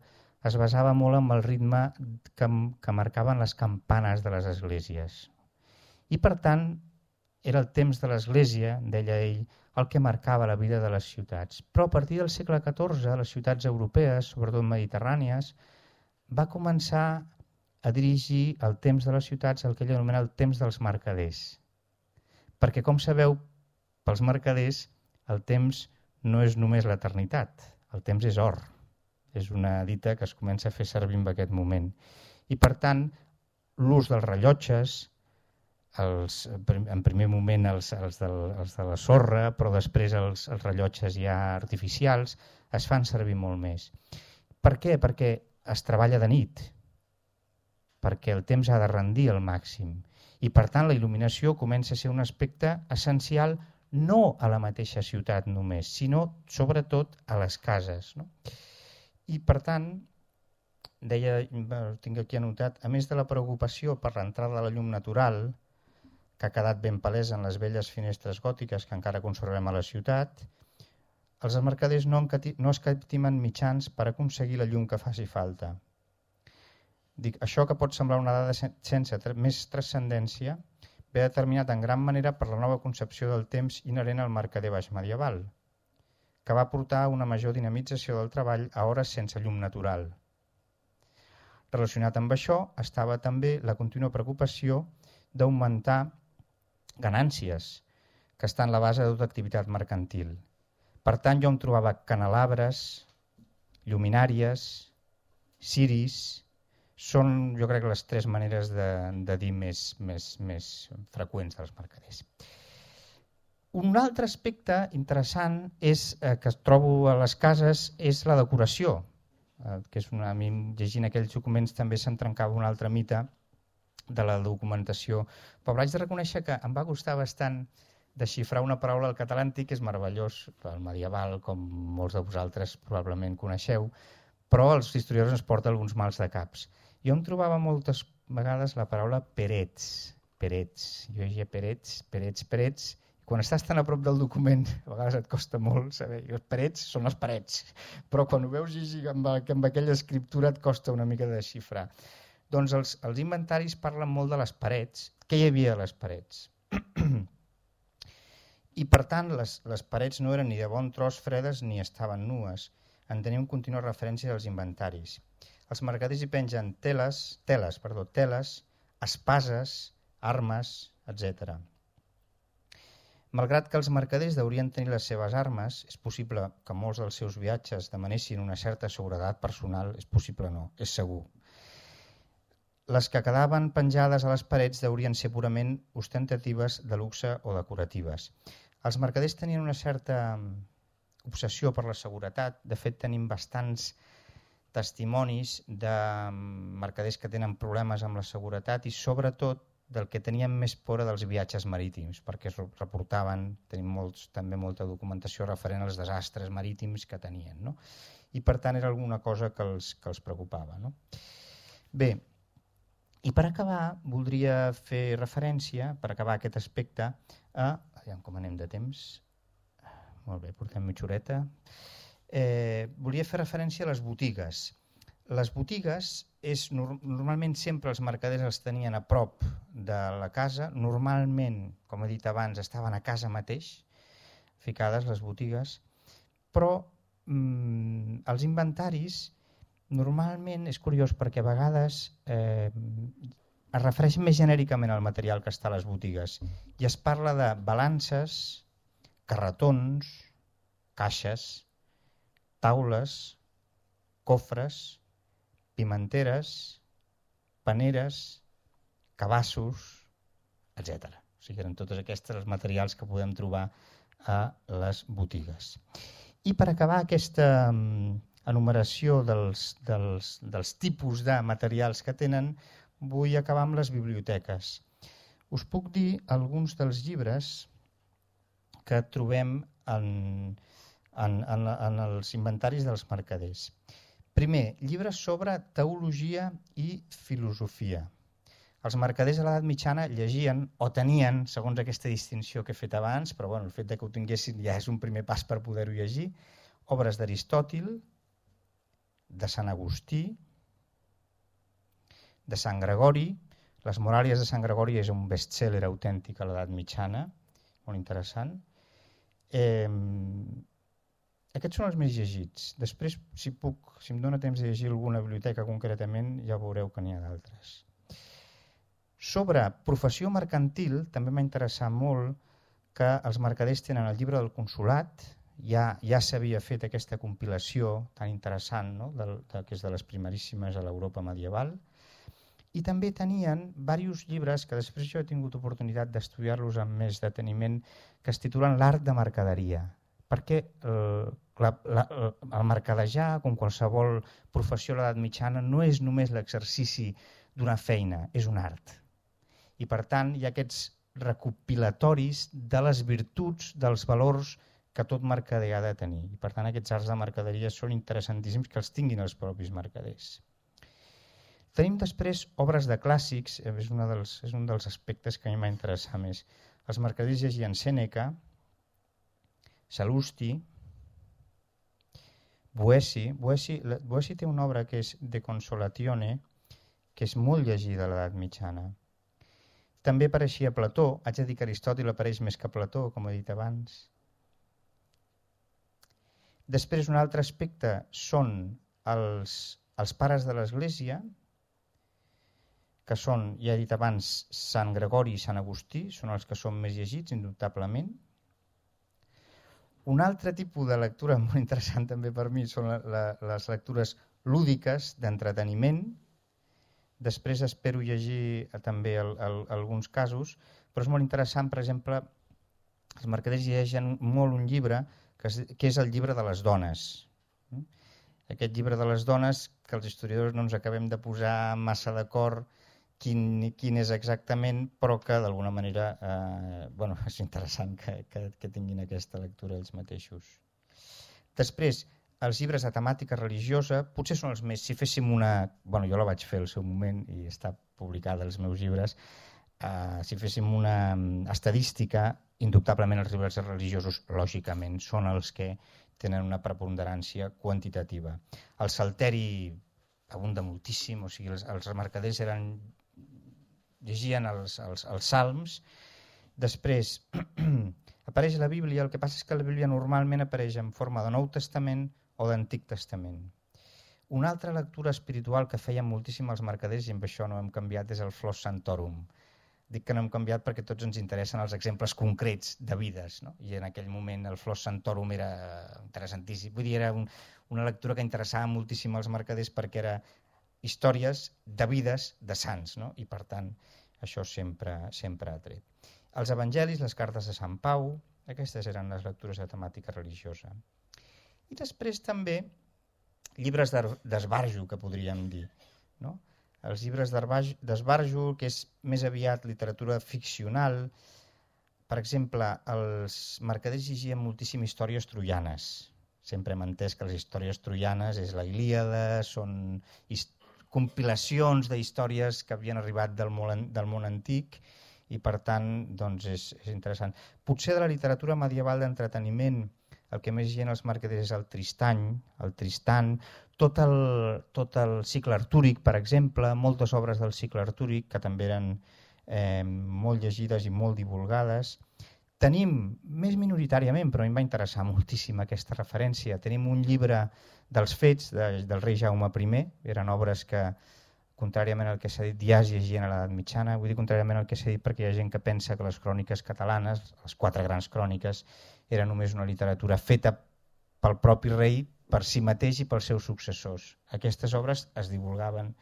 Speaker 1: es basava molt en el ritme que, que marcaven les campanes de les esglésies. I per tant, era el temps de l'església, deia ell, el que marcava la vida de les ciutats. Però a partir del segle catorze, les ciutats europees, sobretot mediterrànies, va començar a dirigir el temps de les ciutats el que ell anomena el temps dels mercaders. Perquè, com sabeu, pels mercaders el temps no és només l'eternitat, el temps és or. És una dita que es comença a fer servir en aquest moment. I per tant, l'ús dels rellotges, els, en primer moment els, els, del, els de la sorra, però després els, els rellotges ja artificials, es fan servir molt més. Per què? Perquè es treballa de nit, perquè el temps ha de rendir al màxim. I per tant la il·luminació comença a ser un aspecte essencial no a la mateixa ciutat només, sinó sobretot a les cases. No? I per tant, deia, tinc aquí anotat, a més de la preocupació per l'entrada de la llum natural, que ha quedat ben palesa en les velles finestres gòtiques que encara conservem a la ciutat, els mercaders no, no escatimen mitjans per aconseguir la llum que faci falta. Dic, això que pot semblar una dada sense més transcendència ve determinat en gran manera per la nova concepció del temps inherent al mercader baix medieval, que va portar a una major dinamització del treball a hores sense llum natural. Relacionat amb això estava també la contínua preocupació d'augmentar ganàncies, que està en la base de tota activitat mercantil. Per tant, jo em trobava canelabres, lluminàries, ciris, són, jo crec, les tres maneres de, de dir més, més, més freqüents dels mercaders. Un altre aspecte interessant és, eh, que trobo a les cases és la decoració, eh, que és una, a mi llegint aquells documents també se'm trencava un altre mite de la documentació. Però haig de reconèixer que em va costar bastant desxifrar una paraula al català antic, que és meravellós, el medieval, com molts de vosaltres probablement coneixeu, però els historiadors ens porten alguns mals de caps. Jo em trobava moltes vegades la paraula perets, perets. Jo llegia perets, perets, perets. Quan estàs tan a prop del document, a vegades et costa molt saber. Els perets són les parets, però quan ho veus llegir amb, amb aquella escriptura et costa una mica de desxifrar. Doncs els, els inventaris parlen molt de les parets. Què hi havia a les parets? I per tant, les, les parets no eren ni de bon tros fredes ni estaven nues. En tenim contínua referència als inventaris. Els mercaders hi pengen teles, teles, perdó, teles, espases, armes, etcètera. Malgrat que els mercaders deurien tenir les seves armes, és possible que molts dels seus viatges demanessin una certa seguretat personal, és possible no, és segur. Les que quedaven penjades a les parets deurien ser purament ostentatives, de luxe o decoratives. Els mercaders tenien una certa obsessió per la seguretat. De fet, tenim bastants testimonis de mercaders que tenen problemes amb la seguretat i sobretot del que tenien més por dels viatges marítims, perquè es reportaven, tenim molts, també molta documentació referent als desastres marítims que tenien, no? I per tant era alguna cosa que els, que els preocupava, no? Bé, i per acabar voldria fer referència, per acabar aquest aspecte, a... Aviam com anem de temps. Molt bé, portem mitja horeta. Eh, volia fer referència a les botigues. Les botigues, és, normalment sempre els mercaders els tenien a prop de la casa, normalment, com he dit abans, estaven a casa mateix, ficades les botigues, però mm, els inventaris normalment és curiós perquè a vegades eh, es refereix més genèricament al material que està a les botigues i es parla de balances, carretons, caixes, taules, cofres, pimenteres, paneres, cabassos, etcètera. O sigui, eren totes aquestes els materials que podem trobar a les botigues. I per acabar aquesta enumeració dels, dels, dels tipus de materials que tenen, vull acabar amb les biblioteques. Us puc dir alguns dels llibres que trobem en, en, en, en els inventaris dels mercaders. Primer, llibres sobre teologia i filosofia. Els mercaders a l'edat mitjana llegien o tenien, segons aquesta distinció que he fet abans, però bueno, el fet de que ho tinguessin ja és un primer pas per poder-ho llegir, obres d'Aristòtil, de Sant Agustí, de Sant Gregori. Les Moràlies de Sant Gregori és un best-seller autèntic a l'edat mitjana, molt interessant. Eh, Aquests són els més llegits. Després, si puc, si em dóna temps de llegir alguna biblioteca concretament, ja veureu que n'hi ha d'altres. Sobre professió mercantil, també m'ha interessat molt que els mercaders tenen el llibre del consolat, ja, ja s'havia fet aquesta compilació tan interessant, no? Del, de, que és de les primeríssimes a l'Europa medieval, i també tenien diversos llibres que després jo he tingut oportunitat d'estudiar-los amb més deteniment, que es titulen L'art de mercaderia, perquè eh, la, la, el mercadejar, com qualsevol professió a l'edat mitjana, no és només l'exercici d'una feina, és un art. I per tant hi ha aquests recopilatoris de les virtuts, dels valors que tot mercader ha de tenir. I per tant aquests arts de mercaderia són interessantíssims que els tinguin els propis mercaders. Tenim després obres de clàssics, és, una dels, és un dels aspectes que a mi m'ha interessat més. Els mercaders llegien Sèneca, Sal·lusti, Boeci. Boeci, Boeci té una obra que és De Consolatione, que és molt llegida a l'edat mitjana. També apareixia Plató, haig de dir que Aristòtil apareix més que Plató, com he dit abans. Després un altre aspecte són els, els pares de l'Església, que són, ja he dit abans, Sant Gregori i Sant Agustí, són els que són més llegits, indubtablement. Un altre tipus de lectura molt interessant també per mi són la, la, les lectures lúdiques, d'entreteniment. Després espero llegir també el, el, alguns casos, però és molt interessant, per exemple, els mercaders llegeixen molt un llibre que és, que és el llibre de les dones. Aquest llibre de les dones, que els historiadors no ens acabem de posar massa d'acord, quin, quin és exactament, però que d'alguna manera eh, bueno, és interessant que, que, que tinguin aquesta lectura ells mateixos. Després, els llibres de temàtica religiosa potser són els més, si féssim una, bueno, jo la vaig fer al seu moment i està publicada als meus llibres, eh, si féssim una estadística, indubtablement els llibres religiosos, lògicament, són els que tenen una preponderància quantitativa. El salteri abunda moltíssim, o sigui, els, els mercaders eren, llegien els, els, els salms, després apareix la Bíblia, el que passa és que la Bíblia normalment apareix en forma de Nou Testament o d'Antic Testament. Una altra lectura espiritual que feien moltíssim els mercaders, i amb això no hem canviat, és el Flos Sanctorum. Dic que no hem canviat perquè tots ens interessen els exemples concrets de vides, no? I en aquell moment el Flos Sanctorum era interessantíssim. Vull dir, era un, una lectura que interessava moltíssim als mercaders perquè era històries de vides de sants, no? I per tant això sempre, sempre ha tret. Els evangelis, les cartes de Sant Pau, aquestes eren les lectures de temàtica religiosa. I després també llibres d'esbarjo, que podríem dir, no? Els llibres d'esbarjo, que és més aviat literatura ficcional. Per exemple, els mercaders llegien moltíssim històries troianes. Sempre hem entès que les històries troianes és la Ilíada, són compilacions d'històries que havien arribat del món, del món antic, i per tant doncs és, és interessant. Potser de la literatura medieval d'entreteniment el que més gent els mercaders és el Tristany, el Tristan, tot el, tot el cicle artúric, per exemple, moltes obres del cicle artúric que també eren eh, molt llegides i molt divulgades. Tenim, més minoritàriament, però a mi em va interessar moltíssim aquesta referència, tenim un llibre dels fets de, del rei Jaume primer, eren obres que, contràriament al que s'ha dit, ja es llegien a l'edat mitjana. Vull dir contràriament al que s'ha dit perquè hi ha gent que pensa que les cròniques catalanes, les quatre grans cròniques, era només una literatura feta pel propi rei, per si mateix i pels seus successors. Aquestes obres es divulgaven,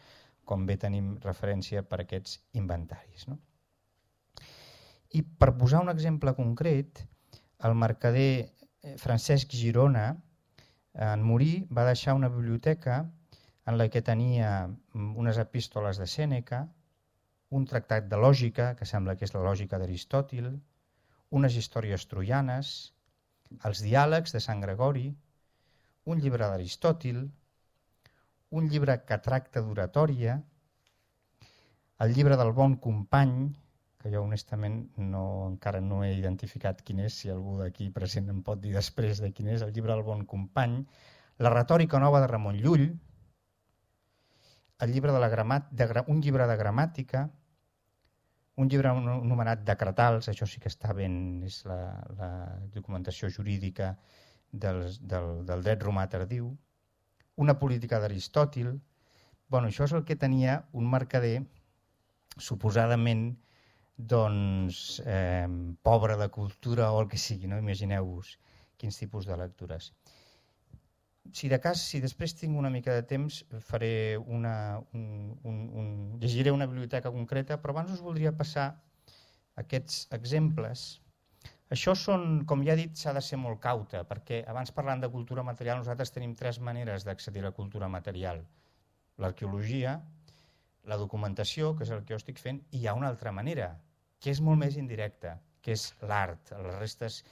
Speaker 1: com bé tenim referència, per aquests inventaris, no? I per posar un exemple concret, el mercader Francesc Girona, en morir, va deixar una biblioteca en la que tenia unes epístoles de Sèneca, un tractat de lògica, que sembla que és la lògica d'Aristòtil, unes històries troianes, els diàlegs de Sant Gregori, un llibre d'Aristòtil, un llibre que tracta d'oratòria, el llibre del bon company, que jo honestament no, encara no he identificat quin és, si algú d'aquí present em pot dir després de quin és, el llibre del bon company, la retòrica nova de Ramon Llull, el llibre de la gramat, de, un llibre de gramàtica, un llibre anomenat Decretals, això sí que està ben, és la, la documentació jurídica del, del, del dret romà tardiu, una política d'Aristòtil. Bueno, això és el que tenia un mercader suposadament doncs, eh, pobre de cultura o el que sigui, no? Imagineu-vos quins tipus de lectures. Si de cas, si després tinc una mica de temps, faré una, un, un, un, llegiré una biblioteca concreta, però abans us voldria passar aquests exemples. Això són, com ja he dit, s'ha de ser molt cauta, perquè abans parlant de cultura material nosaltres tenim tres maneres d'accedir a la cultura material. L'arqueologia, la documentació, que és el que jo estic fent, i hi ha una altra manera, que és molt més indirecta, que és l'art, les restes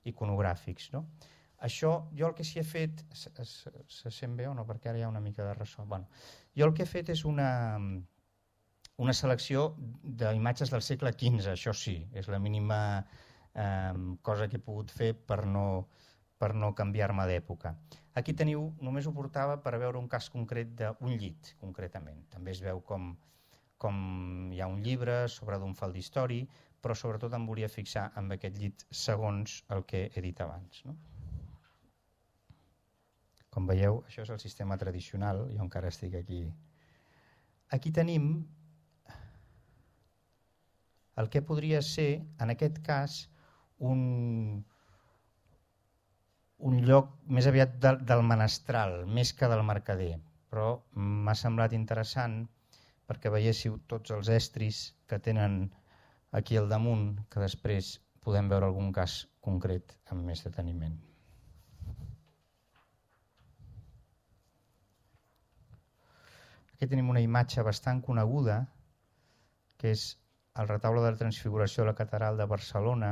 Speaker 1: iconogràfics, no? Això, jo el que s'hi he fet, se, se, se sent bé o no? Perquè ara hi ha una mica de ressò. Bueno, jo el que he fet és una, una selecció d'imatges del segle quinze, això sí, és la mínima eh, cosa que he pogut fer per no, per no canviar-me d'època. Aquí teniu, només ho portava per veure un cas concret d'un llit, concretament. També es veu com, com hi ha un llibre sobre d'un faldistori, però sobretot em volia fixar en aquest llit segons el que he dit abans, no? Com veieu, això és el sistema tradicional, jo encara estic aquí. Aquí tenim el que podria ser, en aquest cas, un, un lloc més aviat del, del menestral, més que del mercader. Però m'ha semblat interessant perquè veiéssiu tots els estris que tenen aquí al damunt, que després podem veure algun cas concret amb més deteniment. Aquí tenim una imatge bastant coneguda que és el retaule de la Transfiguració de la Catedral de Barcelona,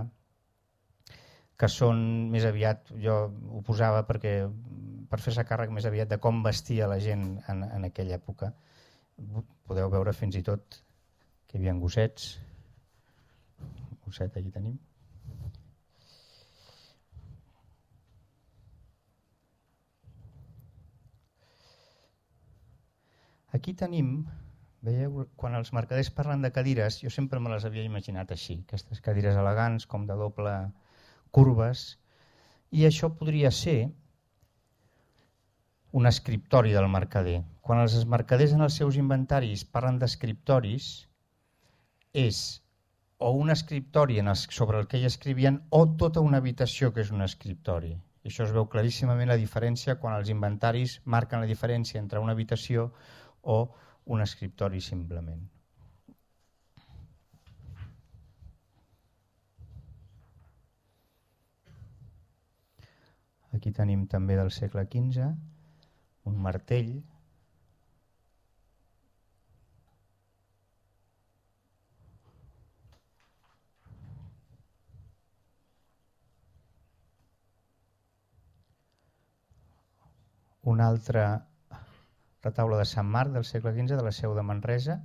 Speaker 1: que són més aviat, jo ho posava perquè, per fer-se càrrec més aviat de com vestia la gent en, en aquella època. Podeu veure fins i tot que hi havia gossets. Gosset, aquí tenim. Aquí tenim, veieu, quan els mercaders parlen de cadires, jo sempre me les havia imaginat així, aquestes cadires elegants, com de doble curves, i això podria ser un escriptori del mercader. Quan els mercaders en els seus inventaris parlen d'escriptoris, és o un escriptori en els, sobre el que hi escrivien o tota una habitació que és un escriptori. I això es veu claríssimament la diferència quan els inventaris marquen la diferència entre una habitació o un escriptori simplement. Aquí tenim també del segle quinze un martell. Un altre retaule de Sant Marc del segle quinze de la Seu de Manresa.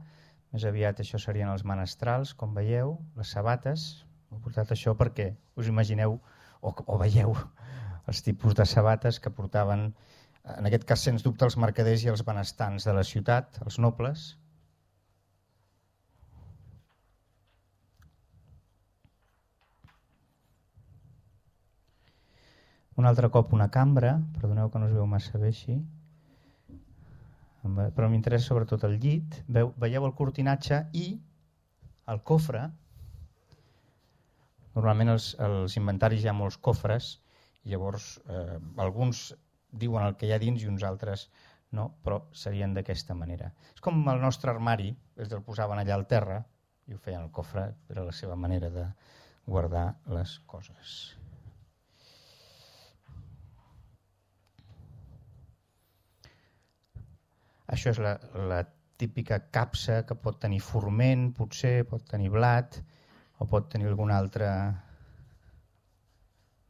Speaker 1: Més aviat això serien els menestrals, com veieu, les sabates. He portat això perquè us imagineu o, o veieu els tipus de sabates que portaven, en aquest cas sens dubte, els mercaders i els benestants de la ciutat, els nobles. Un altre cop una cambra, perdoneu que no es veu massa bé així, però m'interessa sobretot el llit. Veieu el cortinatge i el cofre. Normalment els, els inventaris hi ha molts cofres, i llavors eh, alguns diuen el que hi ha dins i uns altres no, però serien d'aquesta manera. És com el nostre armari, es el posaven allà al terra i ho feien al cofre, era la seva manera de guardar les coses. Això és la, la típica capsa que pot tenir forment, potser, pot tenir blat o pot tenir algun altre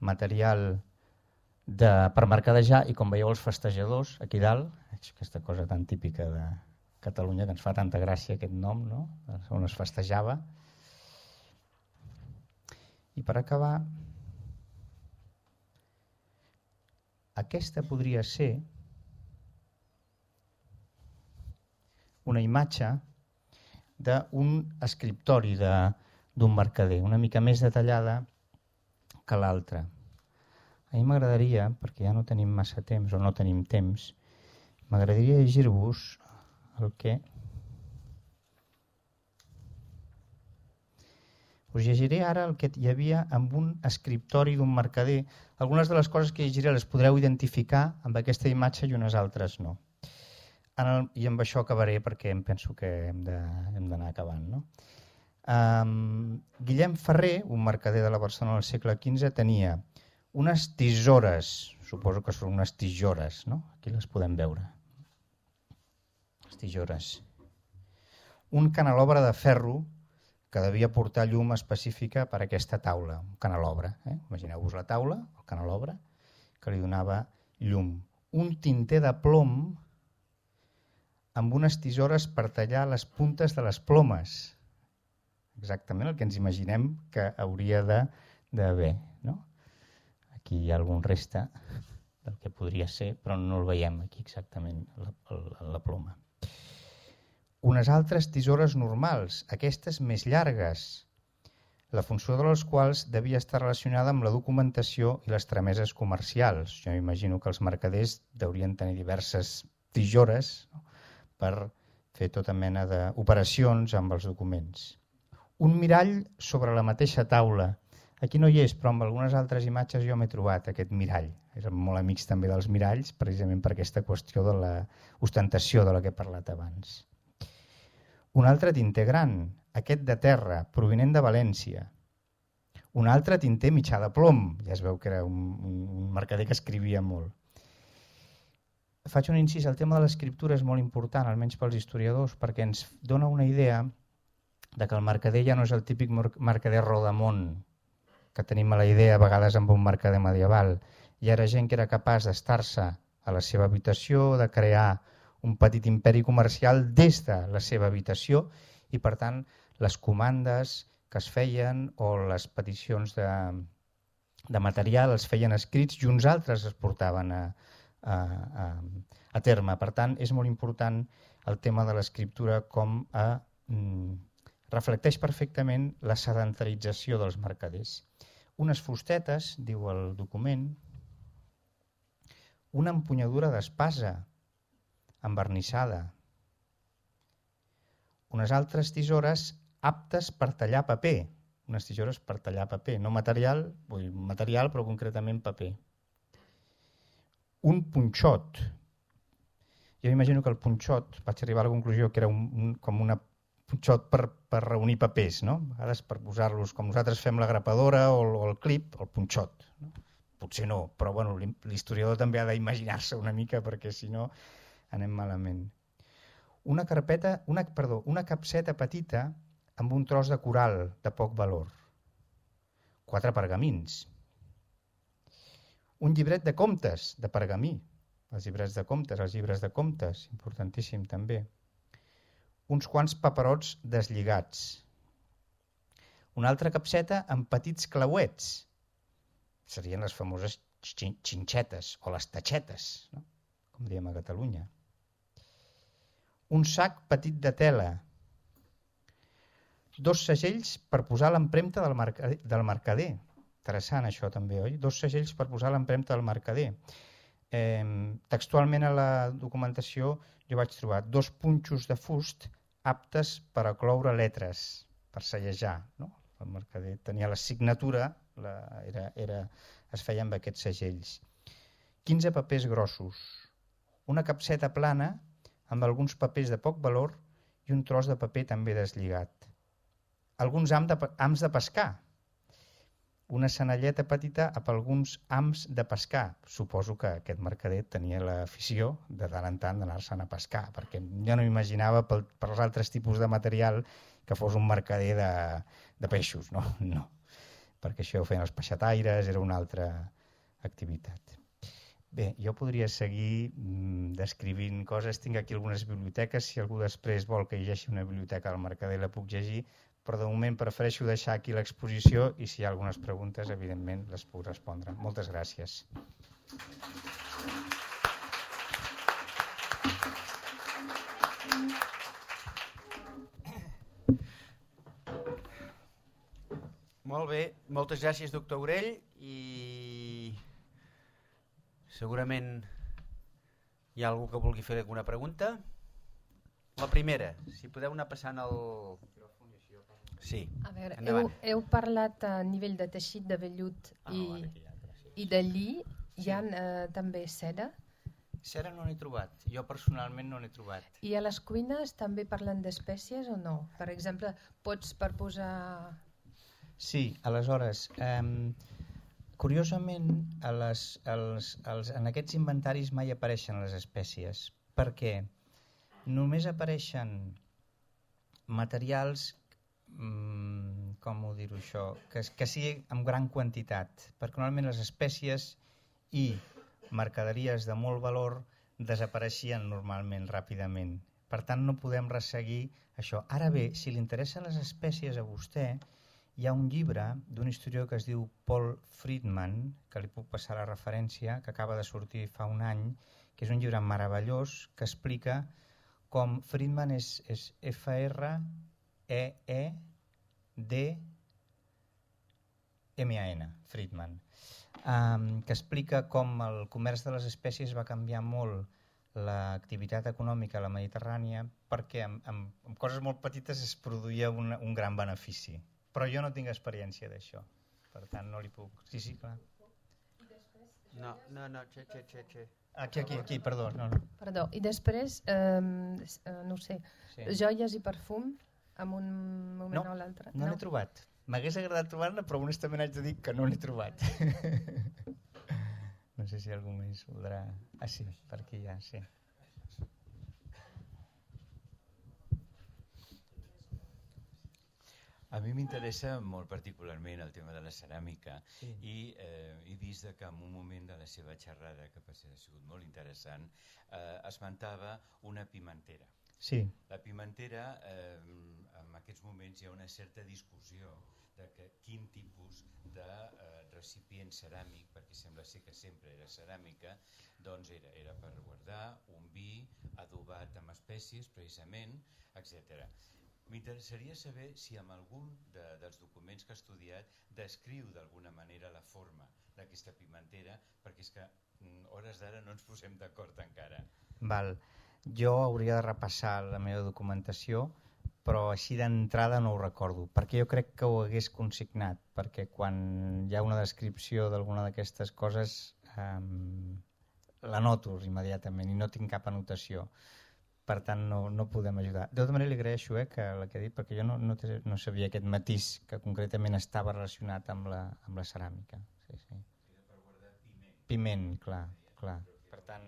Speaker 1: material de, per mercadejar, i com veieu els festejadors aquí dalt, aquesta cosa tan típica de Catalunya que ens fa tanta gràcia aquest nom, no? On es festejava. I per acabar, aquesta podria ser una imatge d'un escriptori d'un mercader, una mica més detallada que l'altra. A mi m'agradaria, perquè ja no tenim massa temps o no tenim temps, m'agradaria llegir-vos el que... Us llegiré ara el que hi havia amb un escriptori d'un mercader. Algunes de les coses que llegiré les podreu identificar amb aquesta imatge i unes altres no. En el, I amb això acabaré perquè em penso que hem d'anar acabant. No? Um, Guillem Ferrer, un mercader de la Barcelona del segle quinze, tenia unes tisores, suposo que són unes tisores, no? Aquí les podem veure. Les tisores. Un canelobre de ferro que devia portar llum específica per a aquesta taula, un canelobre. Eh? Imagineu-vos la taula, el canelobre, que li donava llum. Un tinter de plom amb unes tisores per tallar les puntes de les plomes. Exactament el que ens imaginem que hauria d'haver. No? Aquí hi ha algun reste del que podria ser, però no el veiem aquí exactament, la, la, la ploma. Unes altres tisores normals, aquestes més llargues, la funció de les quals devia estar relacionada amb la documentació i les trameses comercials. Jo m'imagino que els mercaders deurien tenir diverses tisores, no? Per fer tota mena d'operacions amb els documents. Un mirall sobre la mateixa taula. Aquí no hi és, però amb algunes altres imatges jo m'he trobat aquest mirall. Érem molt amics també dels miralls, precisament per aquesta qüestió de l'ostentació de la que he parlat abans. Un altre tinter gran, aquest de terra, provinent de València. Un altre tinter mitjà de plom, ja es veu que era un, un mercader que escrivia molt. Faig un incís, el tema de l'escriptura és molt important, almenys pels historiadors, perquè ens dona una idea de que el mercader ja no és el típic mercader rodamont que tenim a la idea a vegades amb un mercader medieval. Hi era gent que era capaç d'estar-se a la seva habitació, de crear un petit imperi comercial des de la seva habitació i per tant les comandes que es feien o les peticions de, de material es feien escrits i uns altres es portaven a, a, a, a terme. Per tant, és molt important el tema de l'escriptura com a, mm, reflecteix perfectament la sedentarització dels mercaders. Unes fustetes, diu el document, una empunyadura d'espasa envernissada, unes altres tisores aptes per tallar paper, unes tisores per tallar paper, no material, vull dir, material però concretament paper. Un punxot. Jo m'imagino que el punxot, vaig arribar a la conclusió que era un, un, com una punxot per, per reunir papers, no? A vegades per posar-los, com nosaltres fem la grapadora o, o el clip, el punxot. No? Potser no, però bueno, l'historiador també ha d'imaginar-se una mica perquè si no anem malament. Una carpeta, una, perdó, una capseta petita amb un tros de coral de poc valor. Quatre pergamins. Un llibret de comptes de pergamí. Els llibrets de comptes, els llibres de comptes, importantíssim també. Uns quants paperots deslligats. Una altra capseta amb petits clauets. Serien les famoses xinxetes o les tatxetes, no? Com diem a Catalunya. Un sac petit de tela. Dos segells per posar l'empremta del, mercader, del mercader. Interessant això també, oi? Dos segells per posar l'empremta del mercader. Eh, textualment a la documentació jo vaig trobar dos punxos de fust aptes per a cloure lletres, per sellejar, no? El mercader tenia la signatura, la, era, era, es feia amb aquests segells. quinze papers grossos, una capseta plana amb alguns papers de poc valor i un tros de paper també deslligat. Alguns hams de, hams de pescar, una senalleta petita amb alguns hams de pescar. Suposo que aquest mercader tenia l'afició de tant en tant d'anar-se'n a pescar, perquè jo no m'imaginava per, per els altres tipus de material que fos un mercader de, de peixos, no? No, perquè això ho feien els peixataires, era una altra activitat. Bé, jo podria seguir mm, descrivint coses, tinc aquí algunes biblioteques, si algú després vol que llegeixi una biblioteca del mercader la puc llegir, però de moment prefereixo deixar aquí l'exposició i si hi ha algunes preguntes, evidentment, les puc respondre. Moltes gràcies.
Speaker 2: Molt bé, moltes gràcies, doctor Aurell, i segurament hi ha algú que vulgui fer alguna pregunta. La primera, si podeu anar passant el... Sí,
Speaker 3: a veure,
Speaker 2: endavant.
Speaker 3: Heu, heu parlat a nivell de teixit de vellut i, ah, i de lli, hi ha sí. eh, també cera?
Speaker 1: Cera no n'he trobat, jo personalment no n'he trobat.
Speaker 3: I a les cuines també parlen d'espècies o no? Per exemple, pots per posar...
Speaker 1: Sí, aleshores, eh, curiosament a les, als, als, en aquests inventaris mai apareixen les espècies, perquè només apareixen materials, mm, com ho dir-ho això, que, que sigui en gran quantitat, perquè normalment les espècies i mercaderies de molt valor desapareixien normalment ràpidament. Per tant, no podem resseguir això. Ara bé, si li interessen les espècies a vostè, hi ha un llibre d'un historiador que es diu Paul Friedman, que li puc passar la referència, que acaba de sortir fa un any, que és un llibre meravellós que explica com Friedman és, és F R E E D M A N, Friedman, um, que explica com el comerç de les espècies va canviar molt l'activitat econòmica a la Mediterrània perquè amb, amb, amb coses molt petites es produïa un, un gran benefici. Però jo no tinc experiència d'això, per tant no li puc... Sí, sí, clar.
Speaker 2: No, no, no, xe, xe, xe, xe.
Speaker 1: Aquí, aquí, aquí, perdó. No, no.
Speaker 3: Perdó, i després, eh, no ho sé, sí. joies i perfum en un moment
Speaker 1: no,
Speaker 3: o l'altre?
Speaker 1: No, no n'he trobat. M'hagués agradat trobar-ne, però honestament haig de dir que no n'he trobat. No sé si algú més voldrà... Ah, sí, per aquí ja, sí.
Speaker 4: A mi m'interessa molt particularment el tema de la ceràmica
Speaker 1: Sí.
Speaker 4: i eh, he vist que en un moment de la seva xerrada, que ha sigut molt interessant, eh, esmentava una pimentera.
Speaker 1: Sí,
Speaker 4: La pimentera, eh, en aquests moments hi ha una certa discussió de que quin tipus de eh, recipient ceràmic, perquè sembla ser que sempre era ceràmica, doncs era, era per guardar un vi adobat amb espècies, precisament, etcètera. M'interessaria saber si en algun de, dels documents que ha estudiat descriu d'alguna manera la forma d'aquesta pimentera, perquè és que mm, hores d'ara no ens posem d'acord encara.
Speaker 1: val. Jo hauria de repassar la meva documentació, però així d'entrada no ho recordo, perquè jo crec que ho hagués consignat, perquè quan hi ha una descripció d'alguna d'aquestes coses eh, la noto immediatament i no tinc cap anotació. Per tant, no, no podem ajudar. De tota manera, li agraeixo eh, que la que ha dit, perquè jo no, no, té, no sabia aquest matís que concretament estava relacionat amb la, amb la ceràmica. Sí, sí. Piment, clar, clar. Per tant,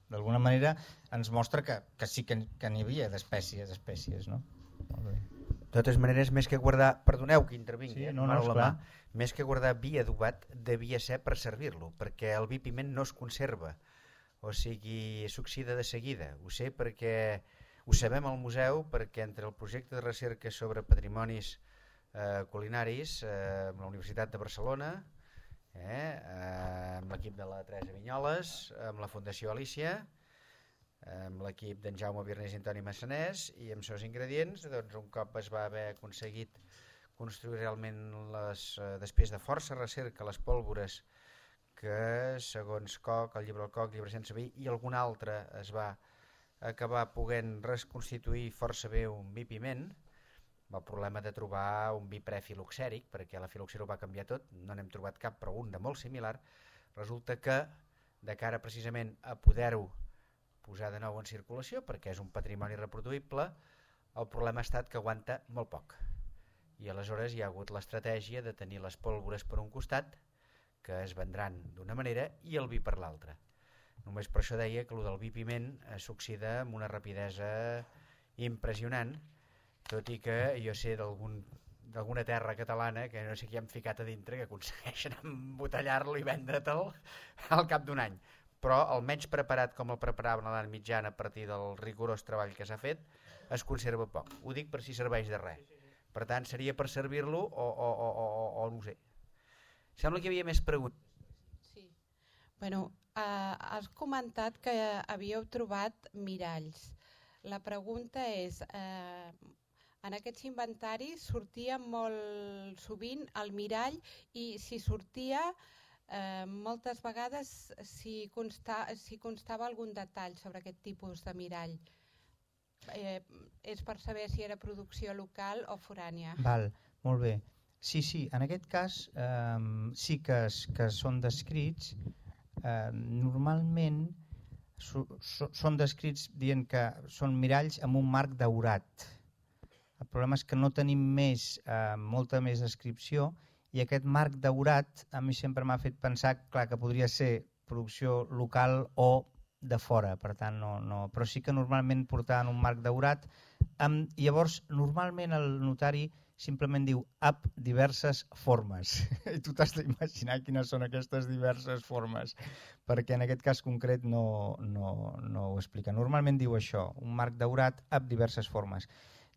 Speaker 1: d'alguna manera ens mostra que, que sí que, que n'hi havia d'espècies, espècies, no? Molt bé.
Speaker 2: De totes maneres, més que guardar... Perdoneu que intervingui,
Speaker 1: Sí,
Speaker 2: eh,
Speaker 1: no, no,
Speaker 2: mano a la
Speaker 1: esclar.
Speaker 2: mà, més que guardar vi adobat, devia ser per servir-lo, perquè el vi piment no es conserva. O sigui, s'oxida de seguida. Ho sé perquè ho sabem al museu, perquè entre el projecte de recerca sobre patrimonis eh, culinaris eh, amb la Universitat de Barcelona, eh, eh, amb l'equip de la Teresa Vinyoles, amb la Fundació Alícia, amb l'equip d'en Jaume Birnés i Antoni Massanès, i amb seus ingredients, doncs un cop es va haver aconseguit construir realment les, eh, després de força recerca, les pólvores que segons Koch, el llibre del Koch, llibre sense vi i algun altre es va acabar podent reconstituir força bé un vi piment. El problema de trobar un vi prefiloxèric, perquè la filoxera ho va canviar tot, no n'hem trobat cap, però un de molt similar. Resulta que de cara precisament a poder-ho posar de nou en circulació, perquè és un patrimoni reproduïble, el problema ha estat que aguanta molt poc. I aleshores hi ha hagut l'estratègia de tenir les pólvores per un costat, que es vendran d'una manera, i el vi per l'altra. Només per això deia que el del vi piment eh, s'oxida amb una rapidesa impressionant, tot i que jo sé d'algun d'alguna terra catalana que no sé qui han ficat a dintre que aconsegueixen embotellar-lo i vendre-te'l al cap d'un any. Però el menys preparat com el preparaven a l'edat mitjana a partir del rigorós treball que s'ha fet es conserva poc. Ho dic per si serveix de res. Per tant, seria per servir-lo o, o, o, o, o no ho sé. Sembla que hi havia més preguntes.
Speaker 5: Sí. Bueno, eh, has comentat que havíeu trobat miralls. La pregunta és, eh, en aquests inventaris sortia molt sovint el mirall i si sortia eh, moltes vegades si, consta, si constava algun detall sobre aquest tipus de mirall. Eh, és per saber si era producció local o forània.
Speaker 1: Val, molt bé. Sí, sí, en aquest cas eh, sí que, es, que són descrits. Eh, normalment so, so, són descrits dient que són miralls amb un marc daurat. El problema és que no tenim més, eh, molta més descripció, i aquest marc daurat a mi sempre m'ha fet pensar clar, que podria ser producció local o de fora, per tant no, no. Però sí que normalment portaven un marc daurat. Amb, llavors, normalment el notari simplement diu ab diverses formes i tu t'has d'imaginar quines són aquestes diverses formes, perquè en aquest cas concret no, no, no ho explica. Normalment diu això, un marc daurat ab diverses formes.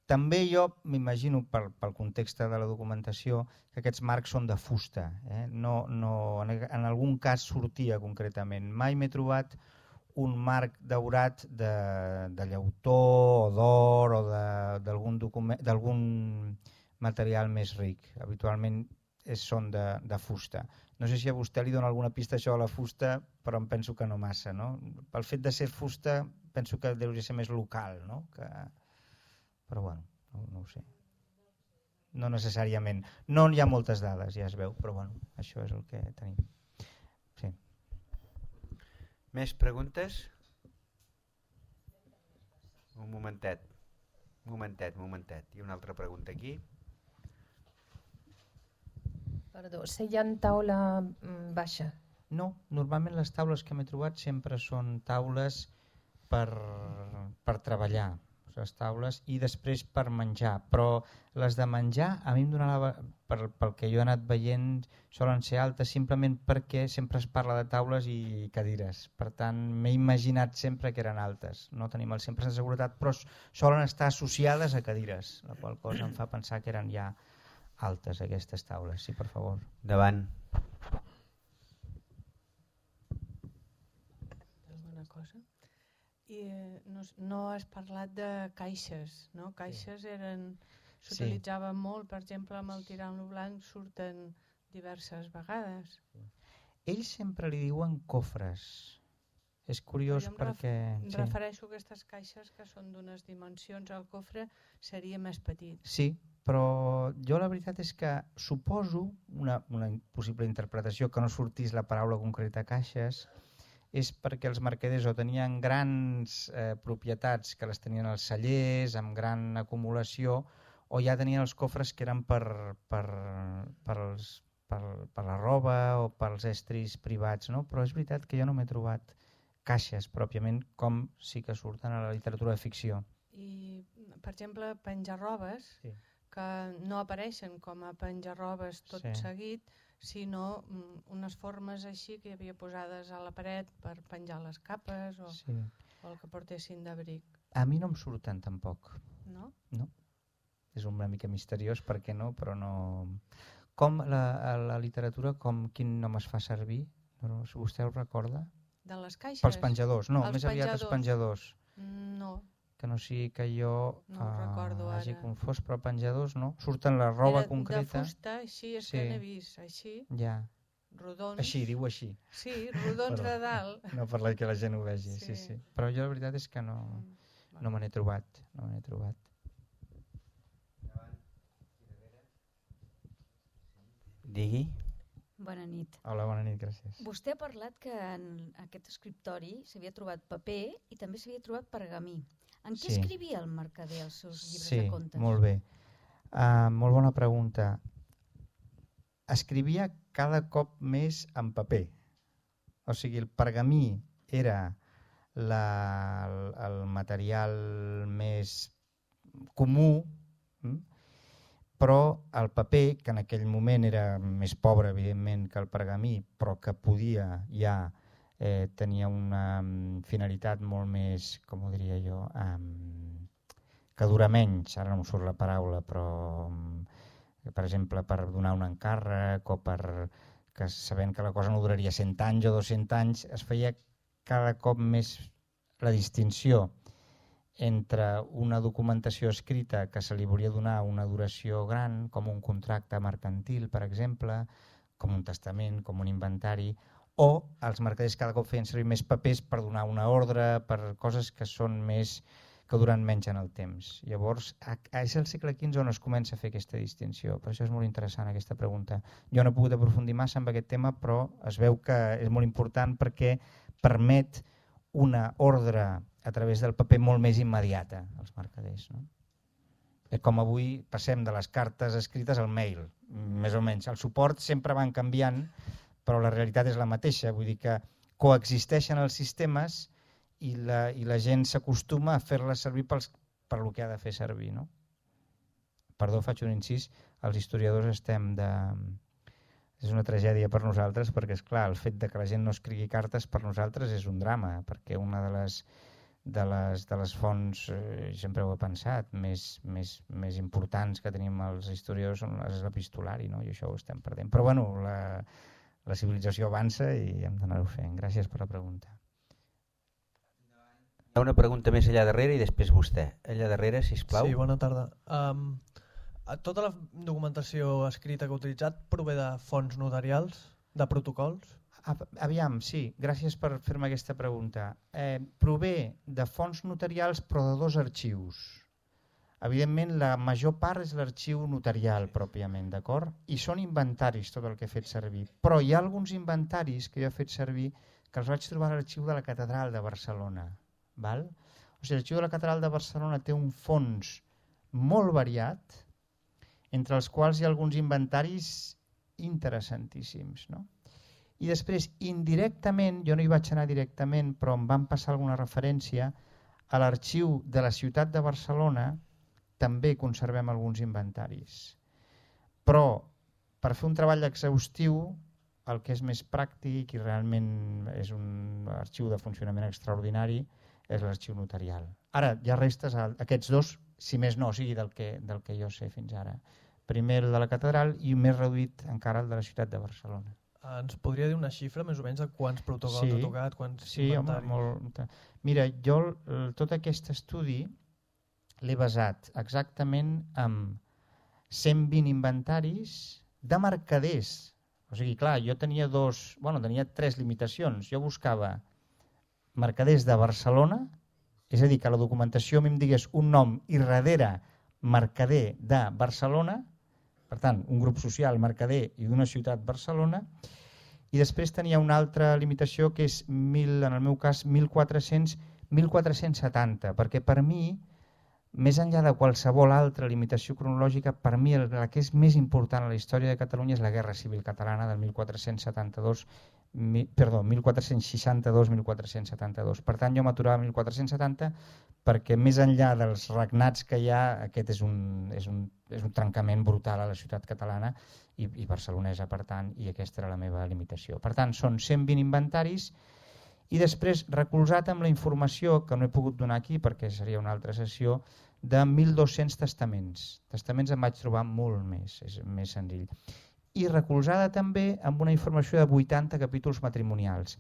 Speaker 1: També jo m'imagino pel, pel context de la documentació que aquests marcs són de fusta, eh? no, no, en, en algun cas sortia concretament. Mai m'he trobat un marc daurat de, de llautó o d'or o d'algun document, d'algun material més ric. Habitualment és, són de, de fusta. No sé si a vostè li dona alguna pista això a la fusta, però em penso que no massa. No? Pel fet de ser fusta penso que deu ser més local, no? Que... però bueno, no, no ho sé. No necessàriament. No hi ha moltes dades, ja es veu, però bueno, això és el que tenim. Sí.
Speaker 2: Més preguntes? Un momentet. Un momentet, un momentet. I una altra pregunta aquí.
Speaker 3: Perdó, seient taula mm, baixa.
Speaker 1: No, normalment les taules que m'he trobat sempre són taules per, per treballar. O les taules, i després per menjar. Però les de menjar, a mi em donava, per, pel que jo he anat veient, solen ser altes simplement perquè sempre es parla de taules i cadires. Per tant, m'he imaginat sempre que eren altes. No tenim el cent per cent de seguretat, però solen estar associades a cadires, la qual cosa em fa pensar que eren ja altes aquestes taules. Sí, per favor.
Speaker 2: Davant.
Speaker 6: Alguna cosa? I eh, no, no has parlat de caixes, no? Caixes eren... S'utilitzaven molt, per exemple, amb el tirant-lo blanc surten diverses vegades.
Speaker 1: Ells sempre li diuen cofres. És curiós
Speaker 6: em
Speaker 1: perquè...
Speaker 6: Ref sí. refereixo a aquestes caixes que són d'unes dimensions, el cofre seria més petit.
Speaker 1: Sí, però jo la veritat és que suposo, una, una possible interpretació, que no sortís la paraula concreta caixes, és perquè els mercaders o tenien grans eh, propietats que les tenien als cellers, amb gran acumulació, o ja tenien els cofres que eren per, per, per, els, per, per la roba o pels estris privats, no? Però és veritat que jo no m'he trobat caixes pròpiament com sí que surten a la literatura de ficció.
Speaker 6: I, per exemple, penjar-robes, sí. que no apareixen com a penjar-robes tot sí. seguit, sinó unes formes així que hi havia posades a la paret per penjar les capes o, sí. o el que portessin d'abric.
Speaker 1: A mi no em surten tampoc.
Speaker 6: No?
Speaker 1: No. És una mica misteriós, per què no, però no... Com la, la literatura, com quin nom es fa servir? No, si vostè ho recorda?
Speaker 6: De les caixes?
Speaker 1: Pels penjadors, no,
Speaker 6: els
Speaker 1: més aviat els penjadors.
Speaker 6: No.
Speaker 1: Que no sigui que jo
Speaker 6: no uh, recordo
Speaker 1: hagi
Speaker 6: ara.
Speaker 1: confós, però penjadors no. Surten la roba
Speaker 6: Era
Speaker 1: concreta.
Speaker 6: De fusta, així és sí. que n'he vist, així.
Speaker 1: Ja.
Speaker 6: Rodons.
Speaker 1: Així, diu així.
Speaker 6: Sí, rodons de dalt.
Speaker 1: No per que la gent ho vegi, sí. sí, sí. Però jo la veritat és que no, no me n'he trobat, no me n'he trobat.
Speaker 2: Digui.
Speaker 7: Bona nit.
Speaker 1: Hola, bona nit, gràcies.
Speaker 7: Vostè ha parlat que en aquest escriptori s'havia trobat paper i també s'havia trobat pergamí. En què sí. escrivia el mercader els seus llibres
Speaker 1: sí,
Speaker 7: de contes?
Speaker 1: Sí, molt bé. Uh, molt bona pregunta. Escrivia cada cop més en paper. O sigui, el pergamí era la, el, el material més comú, hm? Però el paper, que en aquell moment era més pobre, evidentment, que el pergamí, però que podia ja eh, tenia una um, finalitat molt més, com ho diria jo, um, que dura menys, ara no em surt la paraula, però um, per exemple per donar un encàrrec o per que sabent que la cosa no duraria cent anys o dos-cents anys, es feia cada cop més la distinció entre una documentació escrita que se li volia donar una duració gran, com un contracte mercantil, per exemple, com un testament, com un inventari, o els mercaders cada cop feien servir més papers per donar una ordre, per coses que són més que duren menys en el temps. Llavors, és el segle quinze on es comença a fer aquesta distinció. Per això és molt interessant aquesta pregunta. Jo no he pogut aprofundir massa en aquest tema, però es veu que és molt important perquè permet una ordre a través del paper molt més immediata als mercaders. No? Com avui passem de les cartes escrites al mail, més o menys. El suport sempre van canviant, però la realitat és la mateixa. Vull dir que coexisteixen els sistemes i la, i la gent s'acostuma a fer-les servir pels, per lo que ha de fer servir. No? Perdó, faig un incís. Els historiadors estem de... És una tragèdia per nosaltres perquè, és clar, el fet de que la gent no escrigui cartes per nosaltres és un drama, perquè una de les, de les, de les fonts, eh, sempre ho he pensat, més, més, més importants que tenim els historiadors és l'epistolari, no? I això ho estem perdent. Però bueno, la, la civilització avança i hem d'anar-ho fent. Gràcies per la pregunta.
Speaker 2: Hi ha una pregunta més allà darrere i després vostè. Allà darrere, sisplau.
Speaker 8: Sí, bona tarda. Um, tota la documentació escrita que heu utilitzat prové de fonts notarials, de protocols?
Speaker 1: Aviam, sí, gràcies per fer-me aquesta pregunta. Eh, prové de fonts notarials però de dos arxius. Evidentment la major part és l'arxiu notarial pròpiament, d'acord? I són inventaris tot el que he fet servir. Però hi ha alguns inventaris que jo he fet servir que els vaig trobar a l'arxiu de la Catedral de Barcelona. Val? O sigui, l'arxiu de la Catedral de Barcelona té un fons molt variat, entre els quals hi ha alguns inventaris interessantíssims, no? I després, indirectament, jo no hi vaig anar directament, però em van passar alguna referència a l'arxiu de la ciutat de Barcelona també conservem alguns inventaris. Però per fer un treball exhaustiu el que és més pràctic i realment és un arxiu de funcionament extraordinari és l'arxiu notarial. Ara, hi ha restes, aquests dos, si més no, o sigui del que, del que jo sé fins ara. Primer el de la catedral i més reduït encara el de la ciutat de Barcelona.
Speaker 8: Ens podria dir una xifra més o menys de quants protocols
Speaker 1: sí,
Speaker 8: ha tocat, quants
Speaker 1: sí,
Speaker 8: inventaris?
Speaker 1: Home, molt... Mira, jo tot aquest estudi l'he basat exactament en cent vint inventaris de mercaders. O sigui, clar, jo tenia dos, bueno, tenia tres limitacions. Jo buscava mercaders de Barcelona, és a dir, que la documentació a mi em digués un nom i darrere mercader de Barcelona, per tant, un grup social mercader i d'una ciutat Barcelona, i després tenia una altra limitació que és, mil, en el meu cas, mil quatre-cents mil quatre-cents setanta, perquè per mi, més enllà de qualsevol altra limitació cronològica, per mi el, el que és més important a la història de Catalunya és la Guerra Civil Catalana del mil quatre-cents setanta-dos, mi, perdó, mil quatre-cents seixanta-dos mil quatre-cents setanta-dos. Per tant, jo m'aturava a mil quatre-cents setanta perquè més enllà dels regnats que hi ha, aquest és un, és un, és un trencament brutal a la ciutat catalana i, i barcelonesa, per tant, i aquesta era la meva limitació. Per tant, són cent vint inventaris i després recolzat amb la informació, que no he pogut donar aquí perquè seria una altra sessió, de mil dos-cents testaments. Testaments em vaig trobar molt més, és més senzill. I recolzada també amb una informació de vuitanta capítols matrimonials.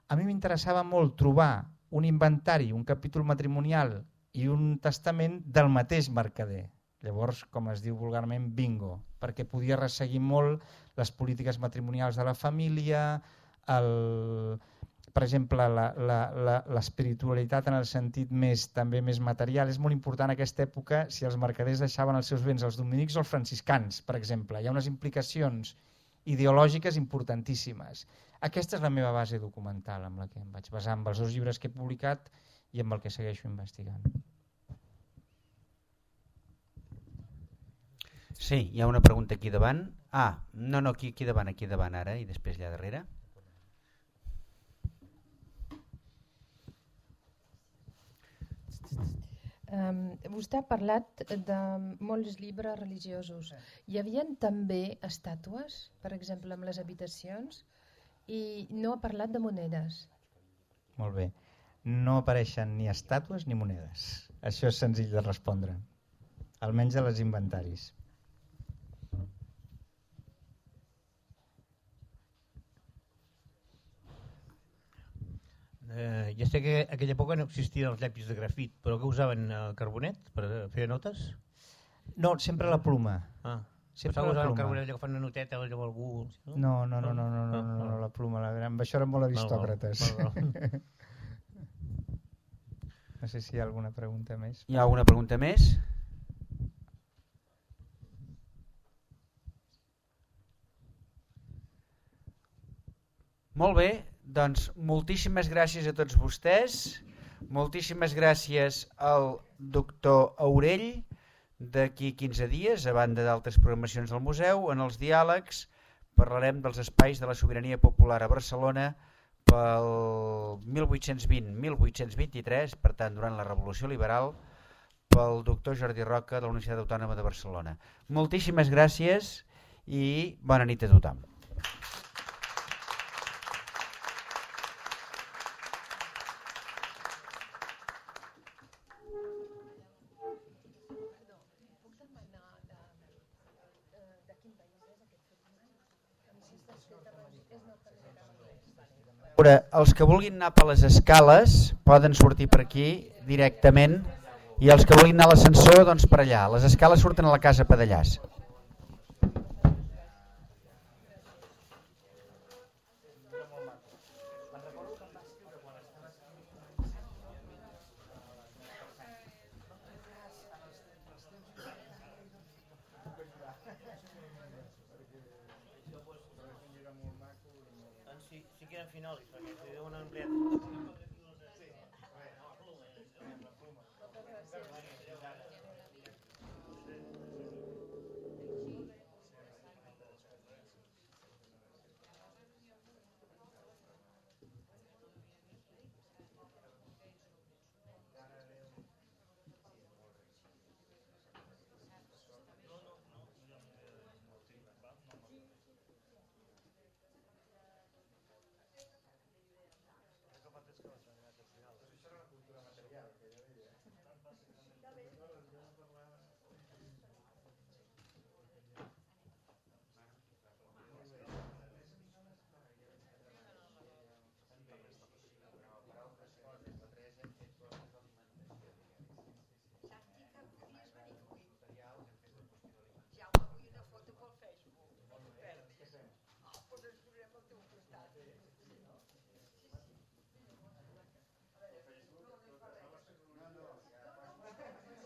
Speaker 1: A mi m'interessava molt trobar un inventari, un capítol matrimonial i un testament del mateix mercader. Llavors, com es diu vulgarment, bingo, perquè podia resseguir molt les polítiques matrimonials de la família, el... per exemple, l'espiritualitat en el sentit més, també més material. És molt important en aquesta època si els mercaders deixaven els seus béns als dominics o als franciscans, per exemple. Hi ha unes implicacions ideològiques importantíssimes. Aquesta és la meva base documental amb la que em vaig basar, amb els dos llibres que he publicat i amb el que segueixo investigant.
Speaker 2: Sí, hi ha una pregunta aquí davant. Ah, no, no, aquí, aquí davant, aquí davant ara i després allà darrere.
Speaker 3: Um, vostè ha parlat de molts llibres religiosos. Hi havia també estàtues, per exemple, amb les habitacions, i no ha parlat de monedes.
Speaker 1: Molt bé. No apareixen ni estàtues ni monedes. Això és senzill de respondre, almenys a les inventaris.
Speaker 9: Eh, ja sé que en aquella època no existien els llapis de grafit, però que usaven el carbonet per fer notes?
Speaker 1: No, sempre la pluma.
Speaker 9: Ah,
Speaker 1: sempre
Speaker 9: la
Speaker 1: pluma.
Speaker 9: el carbonet allò que fan una noteta o allò algú...
Speaker 1: No, no, no, no, no, no, no, no, la pluma, la, amb això eren molt aristòcrates.
Speaker 9: Val, val, val.
Speaker 1: No sé si hi ha alguna pregunta més.
Speaker 2: Hi ha alguna pregunta més? Molt bé, doncs moltíssimes gràcies a tots vostès, moltíssimes gràcies al doctor Aurell d'aquí quinze dies, a banda d'altres programacions del museu. En els diàlegs parlarem dels espais de la sobirania popular a Barcelona pel mil vuit-cents vint a mil vuit-cents vint-i-tres, per tant durant la Revolució Liberal, pel doctor Jordi Roca de la Universitat Autònoma de Barcelona. Moltíssimes gràcies i bona nit a tothom. Els que vulguin anar per les escales poden sortir per aquí directament i els que vulguin anar a l'ascensor doncs per allà. Les escales surten a la casa Padellàs.
Speaker 9: Si quieren finals, perquè si deuen emplear...